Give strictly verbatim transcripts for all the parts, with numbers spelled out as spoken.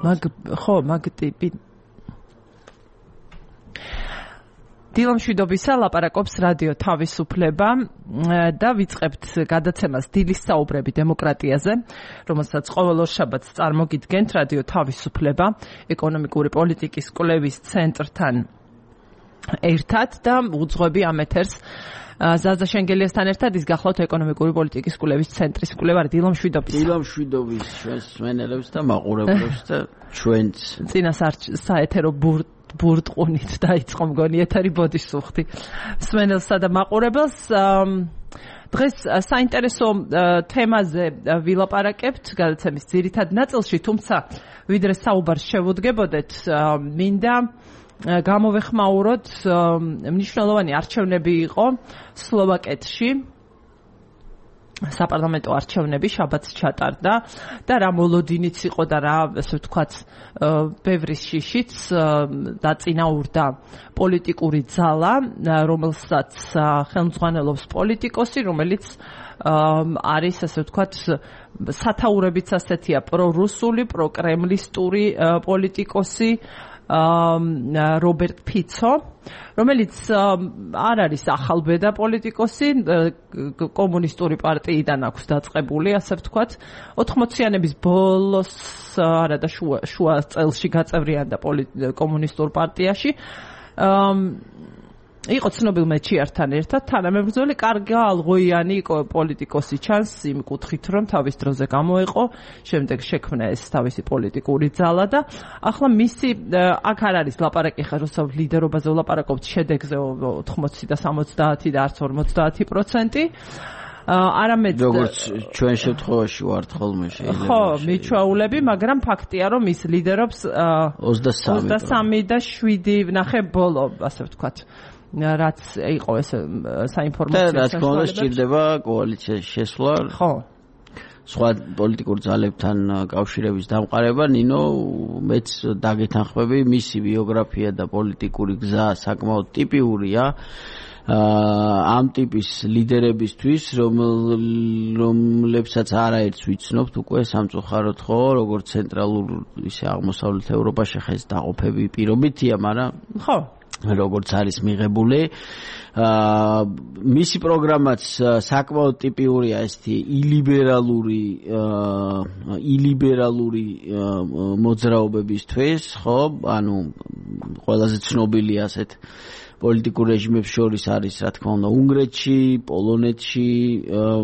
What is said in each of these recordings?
მაგ ხო მაგ ტიპი დილა მშვიდობისა ლაპარაკობს რადიო თავისუფლება და ვიწყებთ გადაცემას დილის საუბრები დემოკრატიაზე, რომელსაც ყოველ ორშაბათს წარმოგიდგენთ რადიო თავისუფლება ეკონომიკური პოლიტიკის კვლევის ცენტრთან ერთად და უძღვები ამ ეთერს ზაზა შენგელიასთან ერთად ის გახლავთ ეკონომიკური პოლიტიკის კვლევის ცენტრის კვლევარი. დილა მშვიდობისა. დილა მშვიდობის ჩვენს მსმენელებს და მაყურებლებს და ჩვენს წინა საეთერო ბურთ ბურტყუნით დაიწყო მგონი ეთერი ბოდისუხტი მსმენელსა და მაყურებელს. დღეს საინტერესო თემაზე ვილაპარაკებთ გადაცემის ძირითად ნაწილში, თუმცა ვიდრე საუბარს შევუდგებოდეთ, მინდა გამოვეხმაუროთ მნიშვნელოვანი არჩევნები იყო სლოვაკეთში. საპარლამენტო არჩევნები შაბათს ჩატარდა და რა მოლოდინიც იყო და რა ასე ვთქვათ ბევრი შიშიც დაწინაურდა პოლიტიკური ძალა, რომელსაც ხელმძღვანელობს პოლიტიკოსი, რომელიც არის ასე ვთქვათ სათაურებიც ასეთია პრორუსული, პროკრემლისტური პოლიტიკოსი რობერტ ფიცო, რომელიც არ არის ახალბედა პოლიტიკოსი, კომუნისტური პარტიიდან აქვს დაწყებული, ასე ვთქვათ, ოთხმოციანების ბოლოს არა და შუა შუა წელში გაწევრიანდა კომუნისტურ პარტიაში. იყო ცნობილ მეჩიართან ერთად თანამებრძოლი, კარგი ალღოიანი პოლიტიკოსი ჩანს იმ კუთხით, რომ თავის დროზე გამოეყო, შემდეგ შექმნა ეს თავისი პოლიტიკური ძალა და ახლა მისი აქ არ არის ლაპარაკი ხა რუსთავ ლიდერობაზე ვლაპარაკობთ შედეგზე ოთხმოცი და სამოცდაათი და არც ორმოცდაათი პროცენტი. არამედ როგორც ჩვენ შემთხვევაში ვართ ხოლმე შეიძლება. ხო, მიჩვეულები, მაგრამ ფაქტია, რომ ის ლიდერობს ოცდასამი და შვიდი ნახე ბოლო, ასე ვთქვათ. რაც იყო ეს საინფორმაციო და რა თქმა უნდა სჭირდება კოალიციაში შესვლა. ხო. სხვა პოლიტიკურ ძალებთან კავშირების დამყარება. ნინო, მეც დაგეთანხმები, მისი ბიოგრაფია და პოლიტიკური გზა საკმაოდ ტიპიურია ამ ტიპის ლიდერებისთვის, რომლებსაც არაერთს ვიცნობთ უკვე სამწუხაროდ, ხო, როგორც ცენტრალურ ისე აღმოსავლეთ ევროპაში ხეს დაყოფები პირობითია, მაგრამ ხო როგორც არის მიღებული. მისი პროგრამაც საკმაოდ ტიპიურია ესეთი ილიბერალური ილიბერალური მოძრაობებისთვის, ხო, ანუ ყველაზე ცნობილი ასეთ პოლიტიკურ რეჟიმებს შორის არის, რა თქმა უნდა, უნგრეთში, პოლონეთში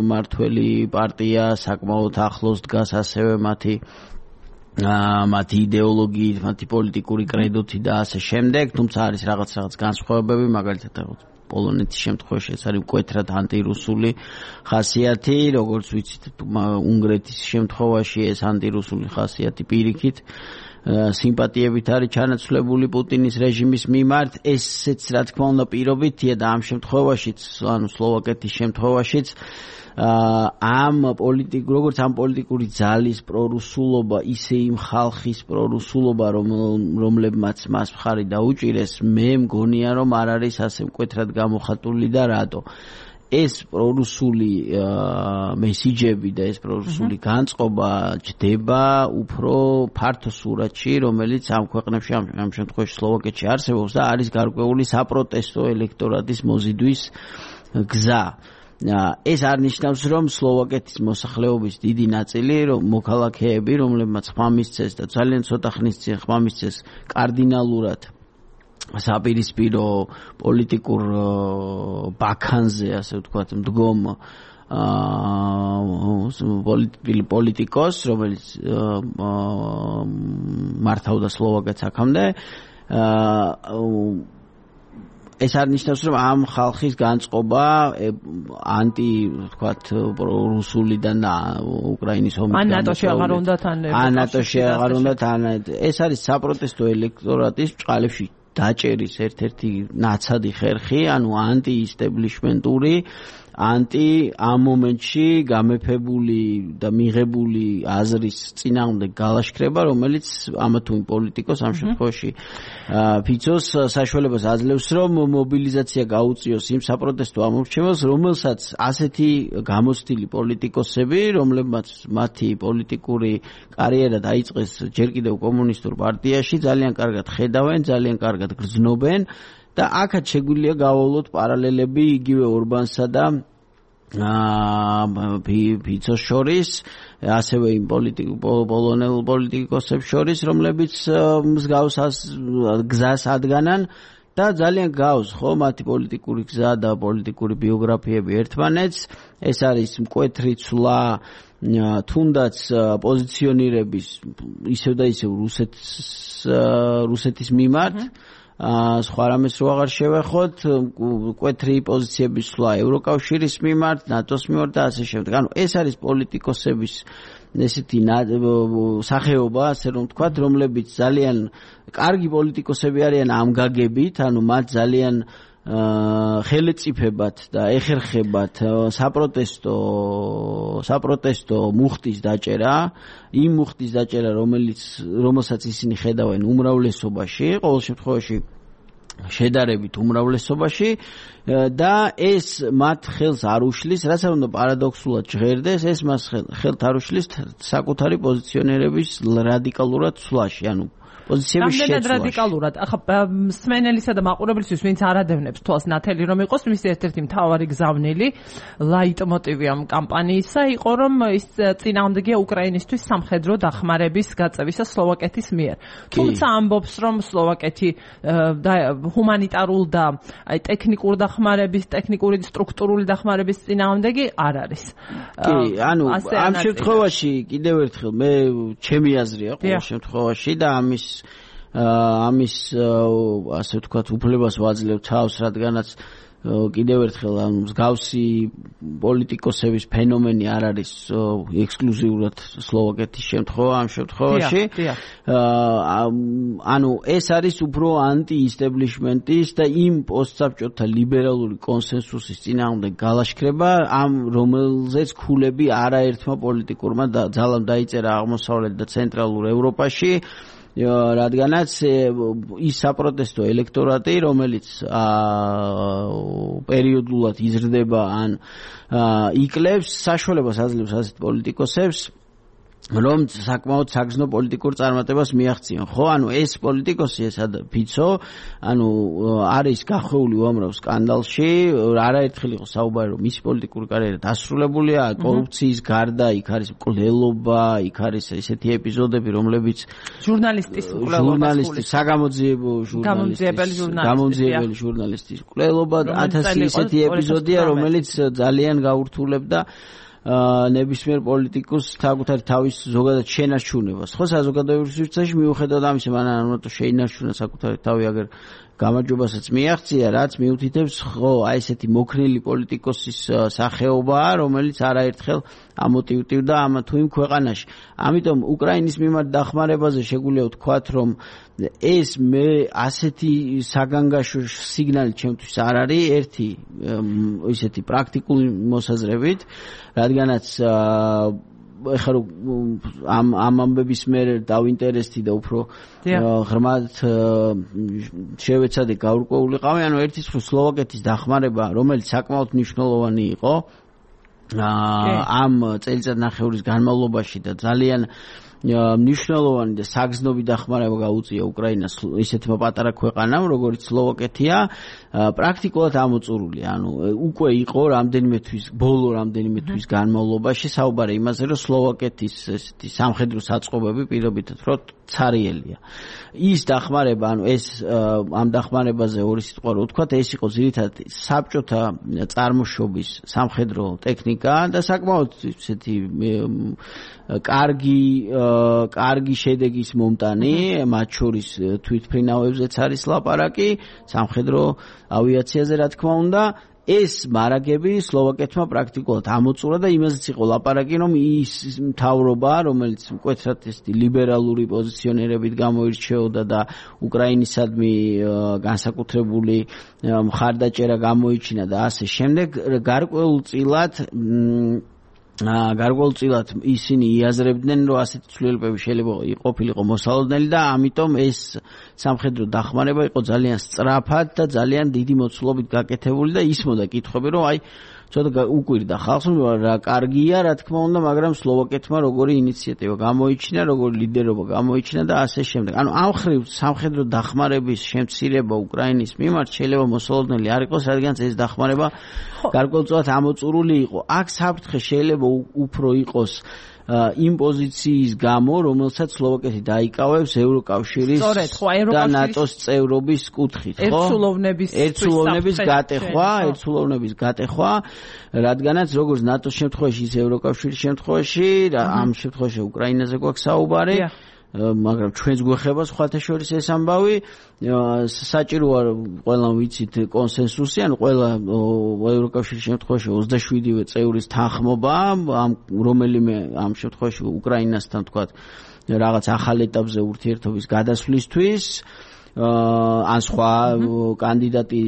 მართველი პარტია საკმაოდ ახლოს დგას ასევე მათი მათი იდეოლოგიით, მათი პოლიტიკური კრედოთი და ასე შემდეგ, თუმცა არის რაღაც რაღაც განსხვავებები, მაგალითად პოლონეთის შემთხვევაში ეს არის მკვეთრად ანტირუსული ხასიათი, როგორც ვიცით, უნგრეთის შემთხვევაში ეს ანტირუსული ხასიათი პირიქით სიმპათიებით არის ჩანაცვლებული პუტინის რეჟიმის მიმართ. ესეც რა თქმა უნდა პირობითია და ამ შემთხვევაშიც, ანუ სლოვაკეთის შემთხვევაშიც ამ პოლიტიკ როგორც ამ პოლიტიკური ძალის პრორუსულობა, ისე იმ ხალხის პრორუსულობა, რომლებმაც მას მხარი დაუჭირეს, მე მგონია, რომ არ არის ასე მკვეთრად გამოხატული და რატო. ეს პრორუსული მესიჯები და ეს პრორუსული განწყობა ჯდება უფრო ფართო სურათში, რომელიც ამ ქვეყნებში, ამ შემთხვევაში სლოვაკეთში არსებობს და არის გარკვეული საპროტესტო ელექტორატის მოზიდვის გზა. ეს არ ნიშნავს, რომ სლოვაკეთის მოსახლეობის დიდი ნაწილი, რომ მოქალაქეები, რომლებმაც ხმამისცეს და ძალიან ცოტა ხნის წინ ხმამისცეს კარდინალურად საპირისპირო პოლიტიკურ ბაქანზე, ასე ვთქვათ, მდგომ პოლიტიკოს, რომელიც მართავდა სლოვაკეთს აქამდე, ეს არ ნიშნავს, რომ ამ ხალხის განწყობა ანტი, ვთქვათ, რუსულიდან და უკრაინის ომის ან ნატოში აღარ უნდა თან ან ნატოში აღარ უნდა თან ეს არის საპროტესტო ელექტორატის ბჭყალებში დაჭერის ერთ-ერთი ნაცადი ხერხი, ანუ ანტიისტებლიშმენტური, ანტი ამ მომენტში გამეფებული და მიღებული აზრის წინააღმდეგ გალაშქრება, რომელიც ამა თუ იმ პოლიტიკოს ამ შემთხვევაში ფიცოს საშუალებას აძლევს, რომ მობილიზაცია გაუწიოს იმ საპროტესტო ამორჩეველს, რომელსაც ასეთი გამოცდილი პოლიტიკოსები, რომლებმაც მათი პოლიტიკური კარიერა დაიწყეს ჯერ კიდევ კომუნისტურ პარტიაში, ძალიან კარგად ხედავენ, ძალიან კარგად გრძნობენ და აქაც შეგვიძლია გავავლოთ პარალელები იგივე ორბანსა და ფიცოს შორის, ასევე იმ პოლონელ პოლიტიკოსებს შორის, რომლებიც მსგავს გზას ადგანან და ძალიან გავს ხო მათი პოლიტიკური გზა და პოლიტიკური ბიოგრაფიები ერთმანეთს. ეს არის მკვეთრი ცვლა თუნდაც პოზიციონირების ისევ და ისევ რუსეთს რუსეთის მიმართ, სხვა რამეს რო აღარ შევეხოთ, მკვეთრი პოზიციების ცვლა ევროკავშირის მიმართ, ნატოს მიმართ და ასე შემდეგ. ანუ ეს არის პოლიტიკოსების ესეთი სახეობა, ასე რომ ვთქვათ, რომლებიც ძალიან კარგი პოლიტიკოსები არიან ამ გაგებით, ანუ მათ ძალიან ხელეწიფებად და ეხერხებათ საპროტესტო საპროტესტო მუხტის დაჭერა, იმ მუხტის დაჭერა, რომელიც რომელსაც ისინი ხედავენ უმრავლესობაში, ყოველ შემთხვევაში შედარებით უმრავლესობაში და ეს მათ ხელს არ უშლის, რაც არ უნდა პარადოქსულად ჟღერდეს, ეს მას ხელთ არ უშლის საკუთარი პოზიციონერების რადიკალურად ცვლაში, ანუ პოზიციების შეცვლაში. რამდენად რადიკალურად? ახლა მსმენელისა და მაყურებლისთვის, ვინც არ ადევნებს თვალს ნათელი რომ იყოს, მის ერთ-ერთი მთავარი გზავნილი ლაიტმოტივი ამ კამპანიისა იყო, რომ ის წინააღმდეგია უკრაინისთვის სამხედრო დახმარების გაწევისა სლოვაკეთის მიერ. თუმცა ამბობს, რომ სლოვაკეთი ჰუმანიტარულ და აი ტექნიკურ დახმარების, ტექნიკური სტრუქტურული დახმარების წინააღმდეგი არ არის. კი, ანუ ამ შემთხვევაში კიდევ ერთხელ მე ჩემი აზრია ყოველ შემთხვევაში და ამის ამის ასე ვთქვათ უფლებას ვაძლევ თავს, რადგანაც კიდევ ერთხელ ამ მსგავსი პოლიტიკოსების ფენომენი არ არის ექსკლუზიურად სლოვაკეთის შემთხვევა ამ შემთხვევაში. ანუ ეს არის უფრო ანტი-ისტებლიშმენტის და იმ პოსტსაბჭოთა ლიბერალური კონსენსუსის წინააღმდეგ გალაშქრება, ამ რომელზეც ქულები არაერთმა პოლიტიკურმა ძალამ დაიწერა აღმოსავლეთ და ცენტრალურ ევროპაში. რადგანაც ის საპროტესტო ელექტორატი, რომელიც პერიოდულად იზრდება ან იკლებს, საშუალებას აძლევს ასეთ პოლიტიკოსებს, რომ საკმაოდ საგრძნო პოლიტიკურ წარმატებას მიაღწიონ. ხო, ანუ ეს პოლიტიკოსი, ეს ფიცო, ანუ არის გახვეული უამრავ სკანდალში, არაერთხელ იყო საუბარი, რომ მისი პოლიტიკური კარიერა დასრულებულია, კორუფციის გარდა, იქ არის მკვლელობა, იქ არის ესეთი ეპიზოდები, რომლებიც ჟურნალისტის მკვლელობა, ჟურნალისტის, საგამოძიებო ჟურნალისტის, გამომძიებელი ჟურნალისტის მკვლელობა, ათასი ესეთი ეპიზოდია, რომელიც ძალიან გაურთულებდა ნებისმიერ პოლიტიკოს საკუთარი თავის ზოგადად შენარჩუნებას. ხო, საზოგადოებრივ სივრცეში მიუხედავად ამისა, მან არ უნდა შეინარჩუნა საკუთარი თავი, აგერ გამარჯვებასაც მიაღწია, რაც მიუთითებს, ხო, აი ესეთი მოქნილი პოლიტიკოსის სახეობაა, რომელიც არაერთხელ ამოტივტივდა ამ თუ იმ ქვეყანაში. ამიტომ უკრაინის მიმართ დახმარებაზე შეგვიძლია ვთქვათ, რომ ეს მე ასეთი საგანგაშო სიგნალი ჩემთვის არ არის, ერთი ისეთი პრაქტიკული მოსაზრებით, რადგანაც ეხლა ამ ამ ამბების მე დავინტერესდი და უფრო ღრმად შევეცადე გაურკვეულიყავი, ანუ ერთის მხრივ სლოვაკეთის დახმარება, რომელიც საკმაოდ მნიშვნელოვანი იყო ამ წელიწადნახევრის განმავლობაში და ძალიან მნიშვნელოვანი და საგრძნობი დახმარება გაუწია უკრაინას ისეთმა პატარა ქვეყანამ, როგორც სლოვაკეთია, პრაქტიკულად ამოწურული. ანუ უკვე იყო რამდენიმე თვის, ბოლო რამდენიმე თვის განმავლობაში საუბარი იმაზე, რომ სლოვაკეთის ესეთი სამხედრო საწყობები პირობითად რო ცარიელია. ის დახმარება, ანუ ეს ამ დახმარებაზე ორი სიტყვა რო ვთქვათ, ეს იყო ძირითადად საბჭოთა წარმოშობის სამხედრო ტექნიკა და საკმაოდ ესეთი კარგი კარგი შედეგის მომტანი, მათ შორის თვითმფრინავებზეც არის ლაპარაკი, სამხედრო ავიაციაზე რა თქმა უნდა. ეს მარაგები სლოვაკეთმა პრაქტიკულად ამოწურა და იმაზეც იყო ლაპარაკი, რომ ის მთავრობა, რომელიც მკვეთრად ესეთი ლიბერალური პოზიციონერებით გამოირჩეოდა და უკრაინისადმი განსაკუთრებული მხარდაჭერა გამოიჩინა და ასე შემდეგ, გარკვეულწილად გარკვეულწილად ისინი იაზრებდნენ, რომ ასეთი ცვლილებები შეიძლება ყოფილიყო მოსალოდნელი და ამიტომ ეს სამხედრო დახმარება იყო ძალიან სწრაფად და ძალიან დიდი მოცულობით გაკეთებული და ისმოდა კითხვები, რომ აი ცოტა უკვირდა ხალხს, რა კარგია, რა თქმა უნდა, მაგრამ სლოვაკეთმა როგორი ინიციატივა გამოიჩინა, როგორი ლიდერობა გამოიჩინა და ასე შემდეგ. ანუ ამ ხრივ სამხედრო დახმარების შემცირება უკრაინის მიმართ შეიძლება მოსალოდნელი არ იყოს, რადგან ეს დახმარება გარკვეულწილად ამოწურული იყო. აქ საფრთხე შეიძლება უფრო იყოს იმ პოზიციის გამო, რომელსაც სლოვაკეთი დაიკავებს ევროკავშირის და ნატოს წევრობის კუთხით, ხო? ერთსულოვნების ერთსულოვნების გატეხვა, ერთსულოვნების გატეხვა, რადგანაც როგორც ნატოს შემთხვევაში, ისე ევროკავშირის შემთხვევაში, ამ შემთხვევაში უკრაინაზე გვაქვს საუბარი, მაგრამ ჩვენს გვეხება სხვათა შორის ეს ამბავი, საჭიროა ყველამ ვიცით კონსენსუსი, ანუ ყველა ევროკავშირის შემთხვევაში ოცდაშვიდივე წევრის თანხმობა, ამ რომელიმე ამ შემთხვევაში უკრაინასთან თქვათ რაღაც ახალ ეტაპზე ურთიერთობის გადასვლისთვის, ან სხვა კანდიდატი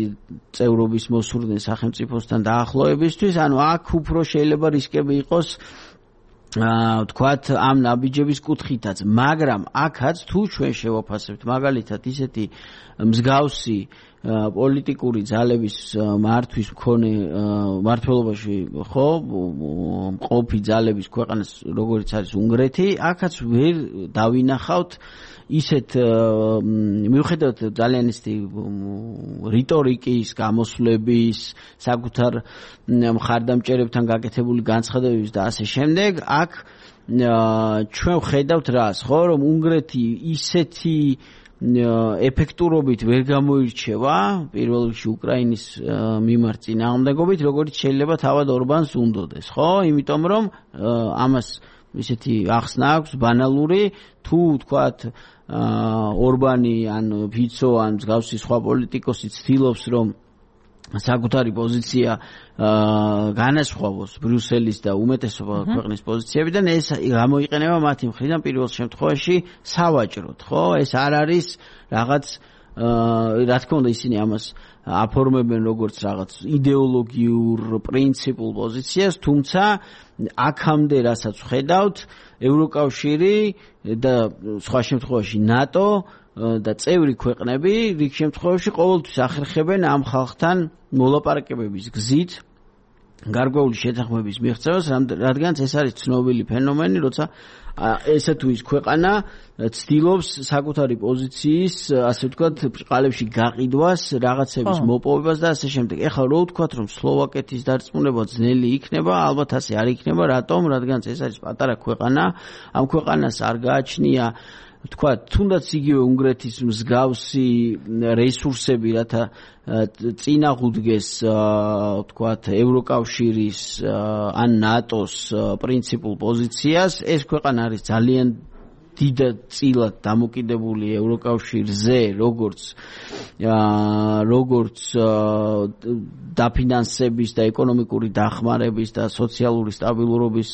წევრობის მოსურდნენ სახელმწიფოსთან დაახლოებისთვის, ანუ აქ უფრო შეიძლება რისკები იყოს თქვათ ამ ნაბიჯების კუთხითაც, მაგრამ აქაც თუ ჩვენ შევაფასებთ მაგალითად ისეთი მსგავსი პოლიტიკური ძალების მართვის მქონე მართლობაში ხო მყოფი ძალების ქვეყანას როგორიც არის უნგრეთი, აქაც ვერ დავინახავთ ისეთ მიუხედავად ძალიან ისეთი რიტორიკის, გამოსვლების, საკუთარ მხარდამჭერებთან გაკეთებული განცხადებების და ასე შემდეგ, აქ ჩვენ ვხედავთ რას, ხო, რომ უნგრეთი ისეთი ეფექტურობით ვერ გამოირჩევა პირველ რიგში უკრაინის მიმართ წინააღმდეგობით, როგორც შეიძლება თავად ორბანს უნდოდეს, ხო? იმიტომ რომ ამას ისეთი ახსნა აქვს ბანალური, თუ თქვათ ორბანი ან ფიცო ან მსგავსი სხვა პოლიტიკოსი ცდილობს რომ საკუთარი პოზიცია განასხვავოს ბრიუსელის და უმეტესობა ქვეყნის პოზიციებიდან, ეს გამოიყენება მათი მხრიდან პირველ შემთხვევაში სავაჭროდ, ხო? ეს არ არის რაღაც რა თქმა უნდა ისინი ამას აფორმებენ როგორც რაღაც იდეოლოგიურ პრინციპულ პოზიციას, თუმცა აქამდე რასაც ვხედავთ, ევროკავშირი და სხვა შემთხვევაში ნატო და წევრი ქვეყნები რიგ შემთხვევაში ყოველთვის ახერხებენ ამ ხალხთან მოლაპარაკებების გზით გარკვეული შეთანხმების მიღწევას, რადგან ეს არის ცნობილი ფენომენი, როცა ესა თუ ის ქვეყანა ცდილობს საკუთარი პოზიციის, ასე ვთქვათ, ბრწყალებში გაყიდვას, რაღაცების მოპოვებას და ასე შემდეგ. ეხლა რო ვთქვათ, რომ სლოვაკეთის დარწმუნება ძნელი იქნება, ალბათ ასე არ იქნება, რატომ? რადგან ეს არის პატარა ქვეყანა, ამ ქვეყანას არ გააჩნია თქვა თუნდაც იგივე უნგრეთის მსგავსი რესურსები, რათა წინაღუდგეს თქვათ ევროკავშირის ან ნატოს პრინციპულ პოზიციას, ეს ქვეყანა არის ძალიან დიდად წილად დამოკიდებული ევროკავშირზე, როგორც როგორც დაფინანსების და ეკონომიკური დახმარების და სოციალური სტაბილურობის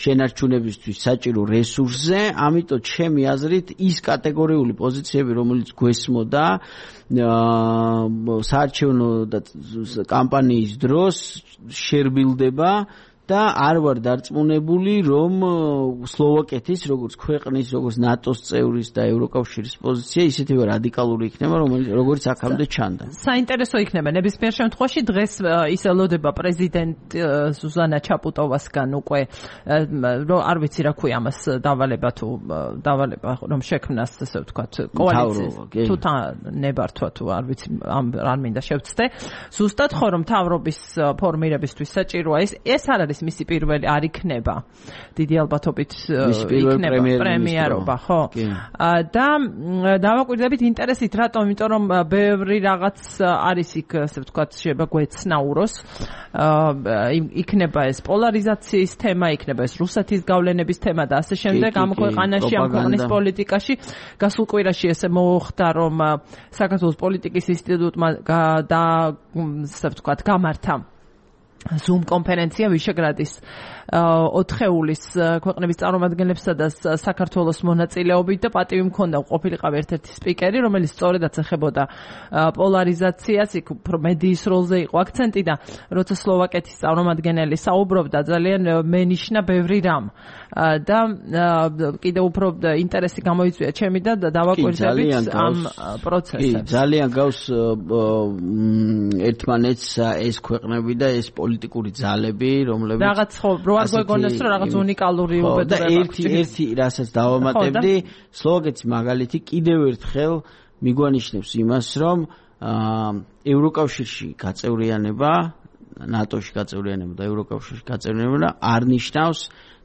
შენარჩუნებისთვის საჭირო რესურსზე, ამიტომ ჩემი აზრით ის კატეგორიული პოზიციები, რომელიც გვესმოდა საარჩევნო კამპანიის დროს შერბილდება და არ ვარ დარწმუნებული, რომ სლოვაკეთის როგორც ქვეყნის, როგორც ნატოს წევრის და ევროკავშირის პოზიცია ისეთივე რადიკალური იქნება, როგორც აქამდე ჩანდა. საინტერესო იქნება ნებისმიერ შემთხვევაში დღეს ის ელოდება პრეზიდენტ ზუზანა ჩაპუტოვასგან უკვე რომ არ ვიცი რა ქვია ამას დავალება თუ დავალება რომ შექმნას ასე ვთქვათ კოალიციის თუ ნებართვა თუ არ ვიცი არ მინდა შევცდე. ზუსტად ხო რომ მთავრობის ფორმირებისთვის საჭიროა ეს ეს არ არის მისი პირველი არ იქნება. დიდი ალბათობით იქნება პრემიერობა, ხო? და დავაკვირდებით ინტერესით რატომ, იმიტომ რომ ბევრი რაღაც არის იქ, ასე ვთქვათ, შეიძლება გვეცნაუროს. იქნება ეს პოლარიზაციის თემა, იქნება ეს რუსეთის გავლენების თემა და ასე შემდეგ ამ ქვეყანაში, ამ ქვეყნის პოლიტიკაში. გასულ კვირაში ესე მოხდა, რომ საქართველოს პოლიტიკის ინსტიტუტმა და ასე ვთქვათ, გამართა Zoom კონფერენცია ვიშეგრადის ოთხეულის ქვეყნების წარმომადგენლებსა და საქართველოს მონაწილეობით და პატივი მქონდა ყოფილიყავ ერთ-ერთი სპიკერი, რომელიც სწორედაც ეხებოდა პოლარიზაციას, იქ უფრო მედიის როლზე იყო აქცენტი და როცა სლოვაკეთის წარმომადგენელი საუბრობდა, ძალიან მენიშნა ბევრი რამ და კიდევ უფრო ინტერესი გამოიწვია ჩემი და დავაკვირდებით ამ პროცესებს. კი, ძალიან გავს ერთმანეთს ეს ქვეყნები და ეს პოლიტიკური ძალები, რომლებიც რაღაც ხო, რო არ გვეგონოს რომ რაღაც უნიკალური უბედურება აქვს. ერთი ერთი რასაც დავამატებდი, სლოვაკეთის მაგალითი კიდევ ერთხელ მიგვანიშნებს იმას, რომ ევროკავშირში გაწევრიანება, ნატოში გაწევრიანება და ევროკავშირში გაწევრიანება არ ნიშნავს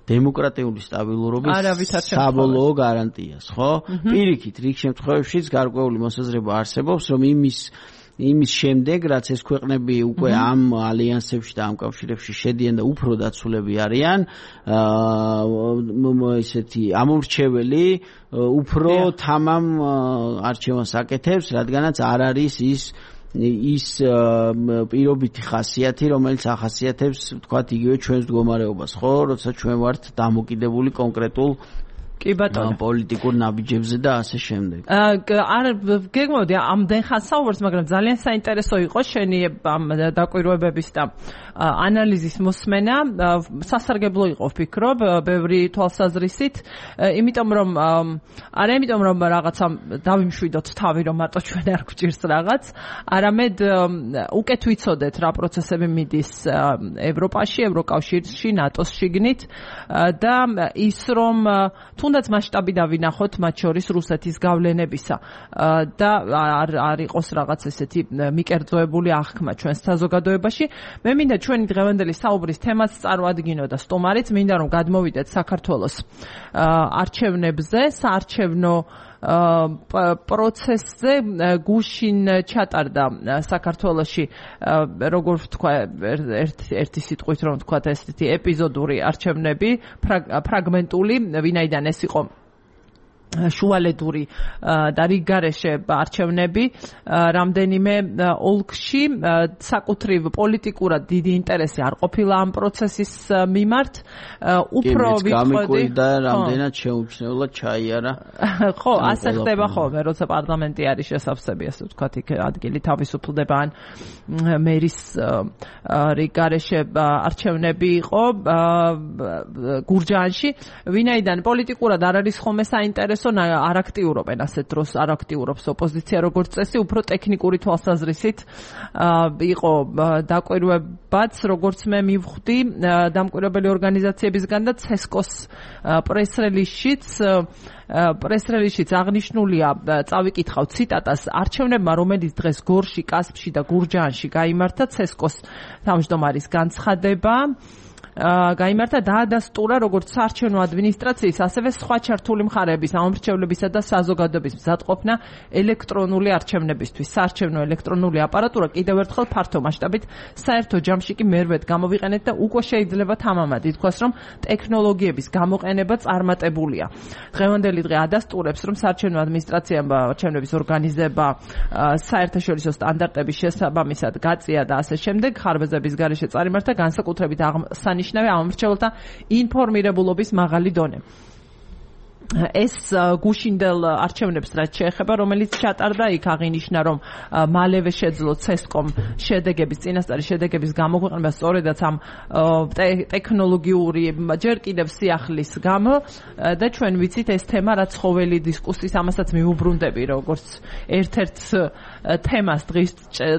დემოკრატიული სტაბილურობის საბოლოო გარანტიას, ხო? პირიქით, რიგ შემთხვევებშიც გარკვეული მოსაზრება არსებობს, რომ იმის იმის შემდეგ, რაც ეს ქვეყნები უკვე ამ ალიანსებში და ამ კავშირებში შედიან და უფრო დაცულები არიან, აა ესეთი ამორჩეველი უფრო თამამ არჩევანს აკეთებს, რადგანაც არ არის ის ის პირობითი ხასიათი, რომელიც ახასიათებს, თქვათ, იგივე ჩვენს მდგომარეობას, ხო, როცა ჩვენ ვართ დამოკიდებული კონკრეტულ კი ბატონო პოლიტიკურ ნაბიჯებზე და ასე შემდეგ. არ გეგმავდი ამდენ ხანს საუბარს, მაგრამ ძალიან საინტერესო იყო შენი ამ დაკვირვებების და ანალიზის მოსმენა. სასარგებლო იყო ვფიქრობ, ბევრი თვალსაზრისით, იმიტომ რომ არა იმიტომ რომ რაღაცა დავიმშვიდოთ თავი, რომ მარტო ჩვენ არ გვჭირს რაღაც, არამედ უკეთ ვიცოდეთ რა პროცესები მიდის ევროპაში, ევროკავშირში, ნატოს შიგნით და ის რომ თუნდაც მასშტაბი დავინახოთ მათ შორის რუსეთის გავლენებისა და არ არ იყოს რაღაც ესეთი მიკერძოებული აღქმა ჩვენს საზოგადოებაში. მე მინდა ჩვენი დღევანდელი საუბრის თემას წარმოადგინო და სტუმარიც მინდა რომ გადმოვიდეთ საქართველოს არჩევნებზე, საარჩევნო პროცესზე. გუშინ ჩატარდა საქართველოში, როგორ ვთქვა, ერთი სიტყვით რომ ვთქვა, ესეთი ეპიზოდური არჩევნები, ფრაგმენტული, ვინაიდან ეს იყო შუალედური და რიგგარეშე არჩევნები რამდენიმე ოლქში, საკუთრივ პოლიტიკურად დიდი ინტერესი არ ყოფილა ამ პროცესის მიმართ. უფრო ვიტყოდი და რამდენად შეუმჩნევლად ჩაიარა. ხო, ასე ხდება ხოლმე, როცა პარლამენტი არის შესავსები, ასე ვთქვათ, იქ ადგილი თავისუფლდება ან მერის რიგგარეშე არჩევნები იყო გურჯაანში, ვინაიდან პოლიტიკურად არ არის ხოლმე საინტერესო, არ აქტიურობენ ასეთ დროს, არ აქტიურობს ოპოზიცია როგორც წესი, უფრო ტექნიკური თვალსაზრისით იყო დაკვირვებაც, როგორც მე მივხვდი დამკვირვებელი ორგანიზაციებისგან და ცესკოს პრეს-რელიზშიც პრეს-რელიზშიც აღნიშნულია, წავიკითხავ ციტატას, არჩევნებმა, რომელიც დღეს გორში, კასპში და გურჯაანში გაიმართა, ცესკოს თავმჯდომარის განცხადება გაიმართა დაადასტურა როგორც საარჩევნო ადმინისტრაციის, ასევე სხვა ჩართული მხარეების, ამომრჩევლებისა და საზოგადოების მზადყოფნა ელექტრონული არჩევნებისთვის. საარჩევნო ელექტრონული აპარატურა კიდევ ერთხელ ფართო მასშტაბით საერთო ჯამში კი მერვედ გამოვიყენეთ და უკვე შეიძლება თამამად ითქვას, რომ ტექნოლოგიების გამოყენება წარმატებულია. დღევანდელი დღე ადასტურებს, რომ საარჩევნო ადმინისტრაციამ არჩევნების ორგანიზება საერთაშორისო სტანდარტების შესაბამისად გაწია და ასე შემდეგ, ხარბეზების გარეშე წარიმართა განსაკუთრებით აღსანიშნავი ამომრჩეველთა ინფორმირებულობის მაღალი დონე. ეს გუშინდელ არჩევნებს რაც შეეხება, რომელიც ჩატარდა, იქ აღინიშნა, რომ მალევე შეძლო ცესკომ შედეგების, წინასწარი შედეგების გამოქვეყნება სწორედაც ამ ტექნოლოგიური ჯერ კიდევ სიახლის გამო და ჩვენ ვიცით ეს თემა რაც ხოველი დისკუსიის, ამასაც მიუბრუნდები როგორც ერთ-ერთ თემას დღის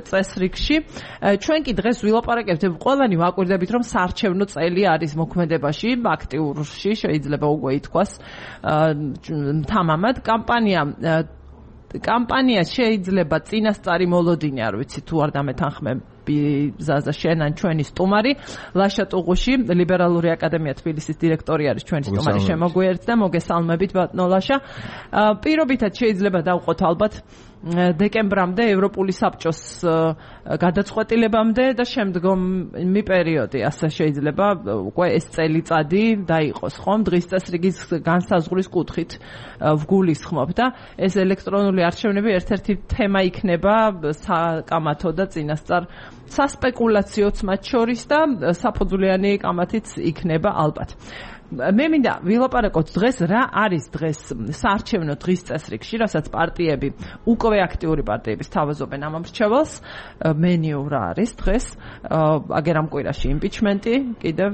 წესრიგში. ჩვენ კი დღეს ვილაპარაკებთ, ყველანი ვაკვირდებით, რომ საარჩევნო წელი არის მოქმედებაში, აქტიურში შეიძლება უკვე ითქვას. თამამად კამპანია კამპანია შეიძლება წინასწარი მოლოდინი, არ ვიცი თუ არ დამეთანხმები ზაზა შენ ან ჩვენი სტუმარი ლაშა ტუღუში, ლიბერალური აკადემია თბილისის დირექტორი არის ჩვენი სტუმარი, შემოგვიერთდა, მოგესალმებით ბატონო ლაშა. პირობითად შეიძლება დავყოთ ალბათ დეკემბრამდე ევროპული საბჭოს გადაწყვეტილებამდე და შემდგომი პერიოდი, ასე შეიძლება უკვე ეს წელიწადი დაიყოს, ხომ? დღის წესრიგის განსაზღვრის კუთხით ვგულისხმობ და ეს ელექტრონული არჩევნები ერთ-ერთი თემა იქნება საკამათო და წინასწარ სასპეკულაციოც მათ შორის და საფუძვლიანი კამათიც იქნება ალბათ. მე მინდა ვილაპარაკოთ დღეს რა არის დღეს საარჩევნო დღის წესრიგში, რასაც პარტიები, უკვე აქტიური პარტიების თავაზობენ ამ მრჩეველს, მენიუ რა არის დღეს, აგერ ამ კვირაში იმპიჩმენტი, კიდევ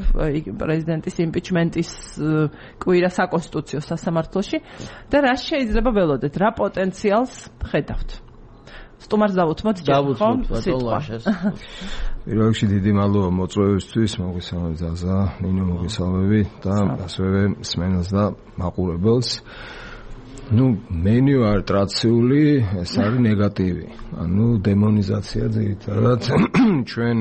პრეზიდენტის იმპიჩმენტის კვირა საკონსტიტუციო სასამართლოში და რა შეიძლება ველოდეთ, რა პოტენციალს ხედავთ? სტუმარს დავუთმოთ ჯერ ხომ სიტყვა. პირველ რიგში დიდი მადლობა მოწვევისთვის, მოგესალმებით ზაზა, ნინო მოგესალმები და ასევე მსმენელს და მაყურებელს. ნუ მენიუ არ ტრადიციული, ეს არის ნეგატივი. ანუ დემონიზაცია ძირითადად ჩვენ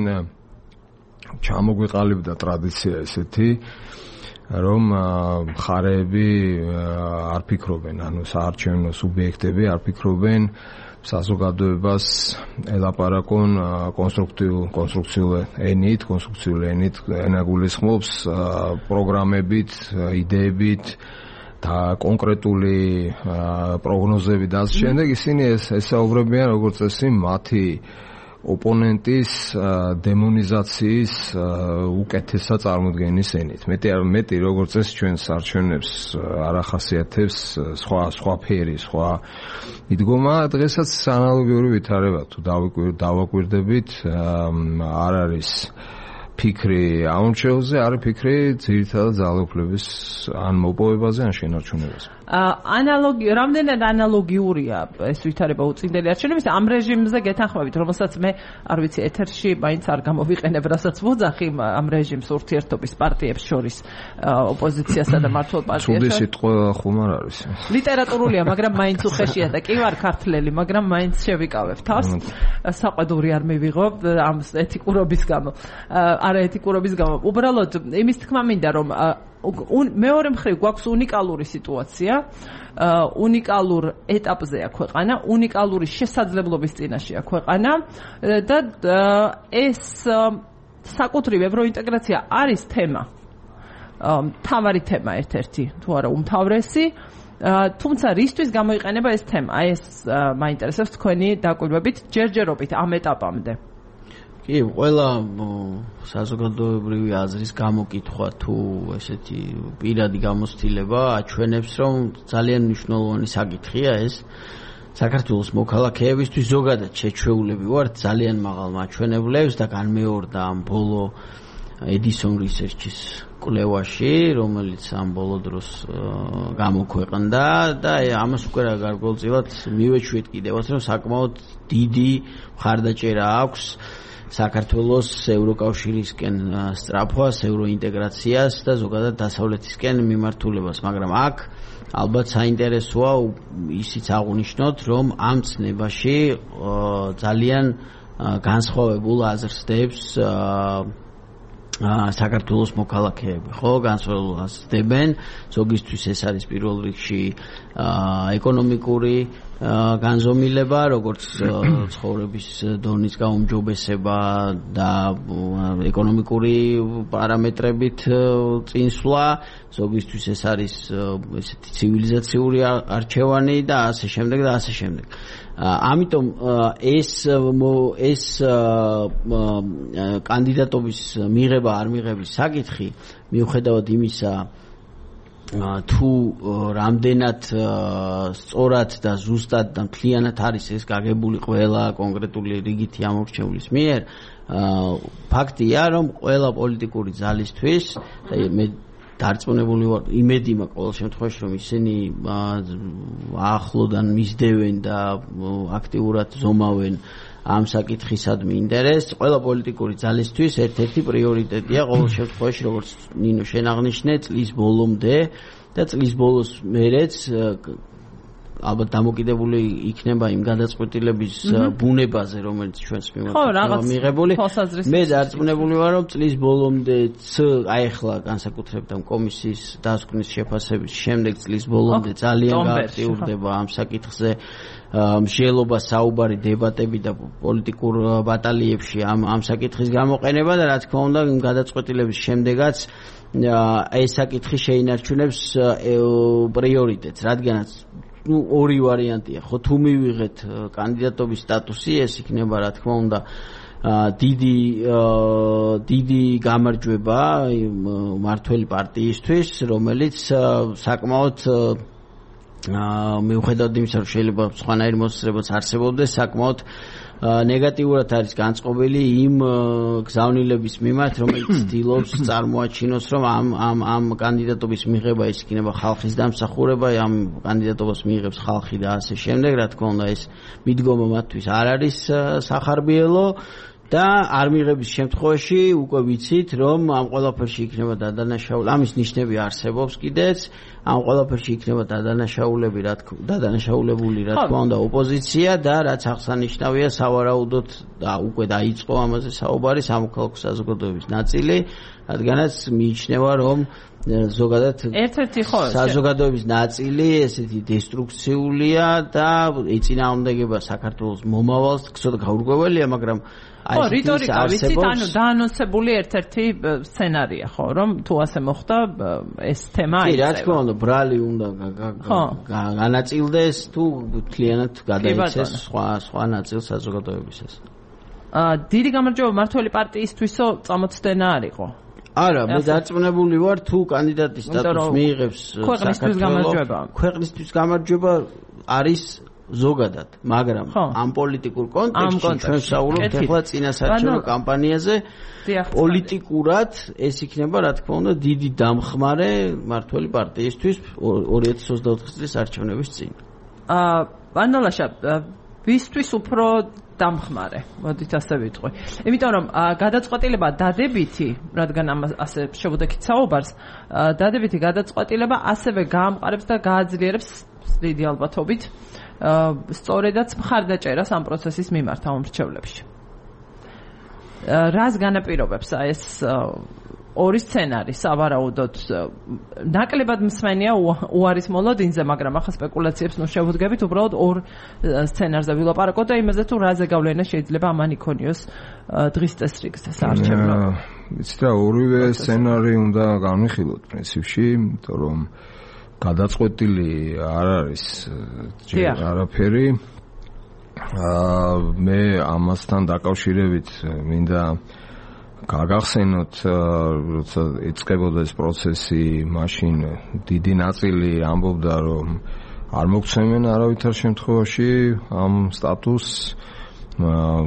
ჩამოგვიყალიბდა ტრადიცია ესეთი, რომ მხარეები არ ფიქრობენ, ანუ საარჩევნო სუბიექტები არ ფიქრობენ საზოგადოებას ელაპარაკონ კონსტრუქციულ კონსტრუქციულ ენით, კონსტრუქციულ ენით ენაგულისხმობს პროგრამებით, იდეებით და კონკრეტული პროგნოზები და ასე შემდეგ. ისინი ესაუბრებიან როგორც წესი მათი ოპონენტის დემონიზაციის უკეთესად წარმოდგენის ენით. მეტი მეტი როგორც წესი ჩვენ საარჩევნებს არ ახასიათებს სხვა სხვა ფერი, სხვა მიდგომა. დღესაც ანალოგიური ვითარება თუ დავაკვირდებით, არ არის ფიქრი ამორჩეულზე, არის ფიქრი ძირითადად ძალაუფლების ან მოპოვებაზე, ან შენარჩუნებაზე. ანალოგი რამდენად ანალოგიურია ეს ვითარება უწინდელი არჩევნების ამ რეჟიმზე გეთანხმებით, რომელსაც მე არ ვიცი ეთერში მაინც არ გამოვიყენებ, რასაც ვოძახი ამ რეჟიმს ურთიერთობის პარტიებს შორის, ოპოზიციასა და მართლ პარტიას. ცუდი სიტყვა ხომ არ არის. ლიტერატურულია, მაგრამ მაინც უხეშია და კი ვარ ქართველი, მაგრამ მაინც შევიკავებ თავს. საყვედური არ მივიღო ამ ეთიკურობის გამო. არაეთიკურობის გამო. უბრალოდ იმის თქმა მინდა, რომ მეორე მხრივ გვაქვს უნიკალური სიტუაცია, უნიკალურ ეტაპზეა ქვეყანა, უნიკალური შესაძლებლობის წინაშეა ქვეყანა და ეს საკუთრივ ევროინტეგრაცია არის თემა, მთავარი თემა ერთ-ერთი, თუ არა უმთავრესი, თუმცა რისთვის გამოიყენება ეს თემა? აი ეს მაინტერესებს თქვენი დაკვირვებით, ჯერჯერობით ამ ეტაპამდე. კი, ყველა საზოგადოებრივი აზრის გამოკითხვა თუ ესეთი პირადი გამოცდილება აჩვენებს, რომ ძალიან მნიშვნელოვანი საკითხია ეს. საქართველოს მოქალაქეებისთვის ზოგადად შეჩვეულები ვართ ძალიან მაღალ მაჩვენებლებს და განმეორდა ამ ბოლო Edison Research-ის კვლევაში, რომელიც ამ ბოლო დროს გამოქვეყნდა და ამას უკვე რა გარკვეულწილად მივეჩვით კიდევაც, რომ საკმაოდ დიდი მხარდაჭერა აქვს საქართველოს ევროკავშირისკენ სწრაფვას, ევროინტეგრაციას და ზოგადად დასავლეთისკენ მიმართულებას, მაგრამ აქ ალბათ საინტერესოა ისიც აღნიშნოთ, რომ ამ ცნებაში ძალიან განსხვავებულ აზრს დებს საქართველოს მოქალაქეები, ხო, განსხვავებულ აზრს დებენ. ზოგისთვის ეს არის პირველ რიგში ეკონომიკური განზომილება, როგორც ცხოვრების დონის გაუმჯობესება და ეკონომიკური პარამეტრებით წინსვლა, ზოგისთვის ეს არის ესეთი ცივილიზაციური არჩევანი და ასე შემდეგ და ასე შემდეგ. ამიტომ ეს ეს კანდიდატობის მიღება არ მიღების საკითხი მიუხედავად იმისა, თუ რამდენად სწორად და ზუსტად და მთლიანად არის ეს გაგებული ყველა კონკრეტული რიგითი ამორჩევლის მიერ, ფაქტია, რომ ყველა პოლიტიკური ძალისთვის და მე დარწმუნებული ვარ, იმედი მაქვს ყოველ შემთხვევაში, რომ ისინი ახლოდან მისდევენ და აქტიურად ზომავენ ამ საკითხისადმი ინტერესს. ყველა პოლიტიკური ძალისთვის ერთ-ერთი პრიორიტეტია ყოველ შემთხვევაში, როგორც ნინო შენ აღნიშნე, წლის ბოლომდე და წლის ბოლოს მერეც ალბათ დამოკიდებული იქნება იმ გადაწყვეტილების ბუნებაზე, რომელიც ჩვენს მიმართ მიღებული. მე დარწმუნებული ვარ, რომ წლის ბოლომდეც, აი ახლა განსაკუთრებით ამ კომისიის დასკვნის შეფასების შემდეგ წლის ბოლომდე ძალიან გააქტიურდება ამ საკითხზე მსჯელობა, საუბარი, დებატები და პოლიტიკურ ბატალიებში ამ ამ საკითხის გამოყენება და რა თქმა უნდა, იმ გადაწყვეტილების შემდეგაც ეს საკითხი შეინარჩუნებს პრიორიტეტს, რადგანაც ну ორი ვარიანტია ხო თუ მივიღეთ კანდიდატობის სტატუსი ეს იქნება რა თქმა უნდა დიდი დიდი გამარჯვება მართველი პარტიისთვის რომელიც საკმაოდ მიუხედავად იმისა რომ შეიძლება სხვანაირი მოსწრებაც არსებობდეს საკმაოდ ნეგატიურად არის განწყობილი იმ გზავნილების მიმართ რომელიც ცდილობს წარმოაჩინოს რომ ამ ამ ამ კანდიდატობის მიღება ის იქნება ხალხის დამსახურება ამ კანდიდატობას მიიღებს ხალხი და ასე შემდეგ რა თქმა უნდა ეს მიდგომა მათთვის არ არის სახარბიელო და არ მიღების შემთხვევაში უკვე ვიცით რომ ამ ყველაფერში იქნება დადანაშაული ამის ნიშნები არსებობს კიდეც ამ ყველაფერში იქნება დადანაშაულები რა თქმა დადანაშაულებული რა თქმა უნდა ოპოზიცია და რაც აღსანიშნავია სავარაუდოდ და უკვე დაიწყო ამაზე საუბარი სამოქალაქო საზოგადოების ნაწილი რადგანაც მიიჩნევა რომ ზოგადად ერთ-ერთი ხო საზოგადოების ნაწილი ესეთი დესტრუქციულია და ეწინააღმდეგება საქართველოს მომავალს ცოტა გაურკვეველია მაგრამ ხო, რიტორიკა ვიცით, ანუ დაანონსებული ერთ-ერთი სცენარია, ხო, რომ თუ ასე მოხდა, ეს თემა აიწევა. კი, რა თქმა უნდა, ბრალი უნდა განაწილდეს თუ მთლიანად გადაიქცეს სხვა სხვა ნაწილ საზოგადოებისას. აა, დიდი გამარჯვება მართველი პარტიისთვისო წამოწდენა არ იყო. არა, მე დარწმუნებული ვარ, თუ კანდიდატის სტატუსს მიიღებს ქვეყნისთვის გამარჯვება. ქვეყნისთვის გამარჯვება არის ზოგადად, მაგრამ ამ პოლიტიკურ კონტექსტში ჩვენ ვსაუბრობთ ახლა წინასაარჩევნო კამპანიაზე პოლიტიკურად ეს იქნება რა თქმა უნდა დიდი დამხმარე მართველი პარტიისთვის ორი ათი ოცდაოთხი წლის არჩევნების წინ. აა ბანალაშა ვისთვის უფრო დამხმარე, მოდით ასე ვიტყვი. იმიტომ რომ გადაწყვეტილება დადებითი, რადგან ასე შევუდექით საუბარს, დადებითი გადაწყვეტილება ასევე გაამყარებს და გააძლიერებს დიდი ალბათობით სწორედაც მხარდაჭერას ამ პროცესის მიმართ ამ მრჩევლებში. რას განაპირობებს ეს ორი სცენარი სავარაუდოდ ნაკლებად მსმენია უარის მოლოდინზე, მაგრამ ახლა სპეკულაციებს ნუ შევუდგებით უბრალოდ ორ სცენარზე ვილაპარაკოთ და იმაზე თუ რა ზეგავლენა შეიძლება ამან იქონიოს დღის წესრიგზე საარჩევნო. ვიცით რა ორივე სცენარი უნდა განვიხილოთ პრინციპში, იმიტომ რომ გადაწყვეტილი არ არის ჯერ არაფერი. აა მე ამასთან დაკავშირებით მინდა გაგახსენოთ, როცა იწყებოდა ეს პროცესი, მაშინ დიდი ნაწილი ამბობდა, რომ არ მოგცემენ არავითარ შემთხვევაში ამ სტატუსს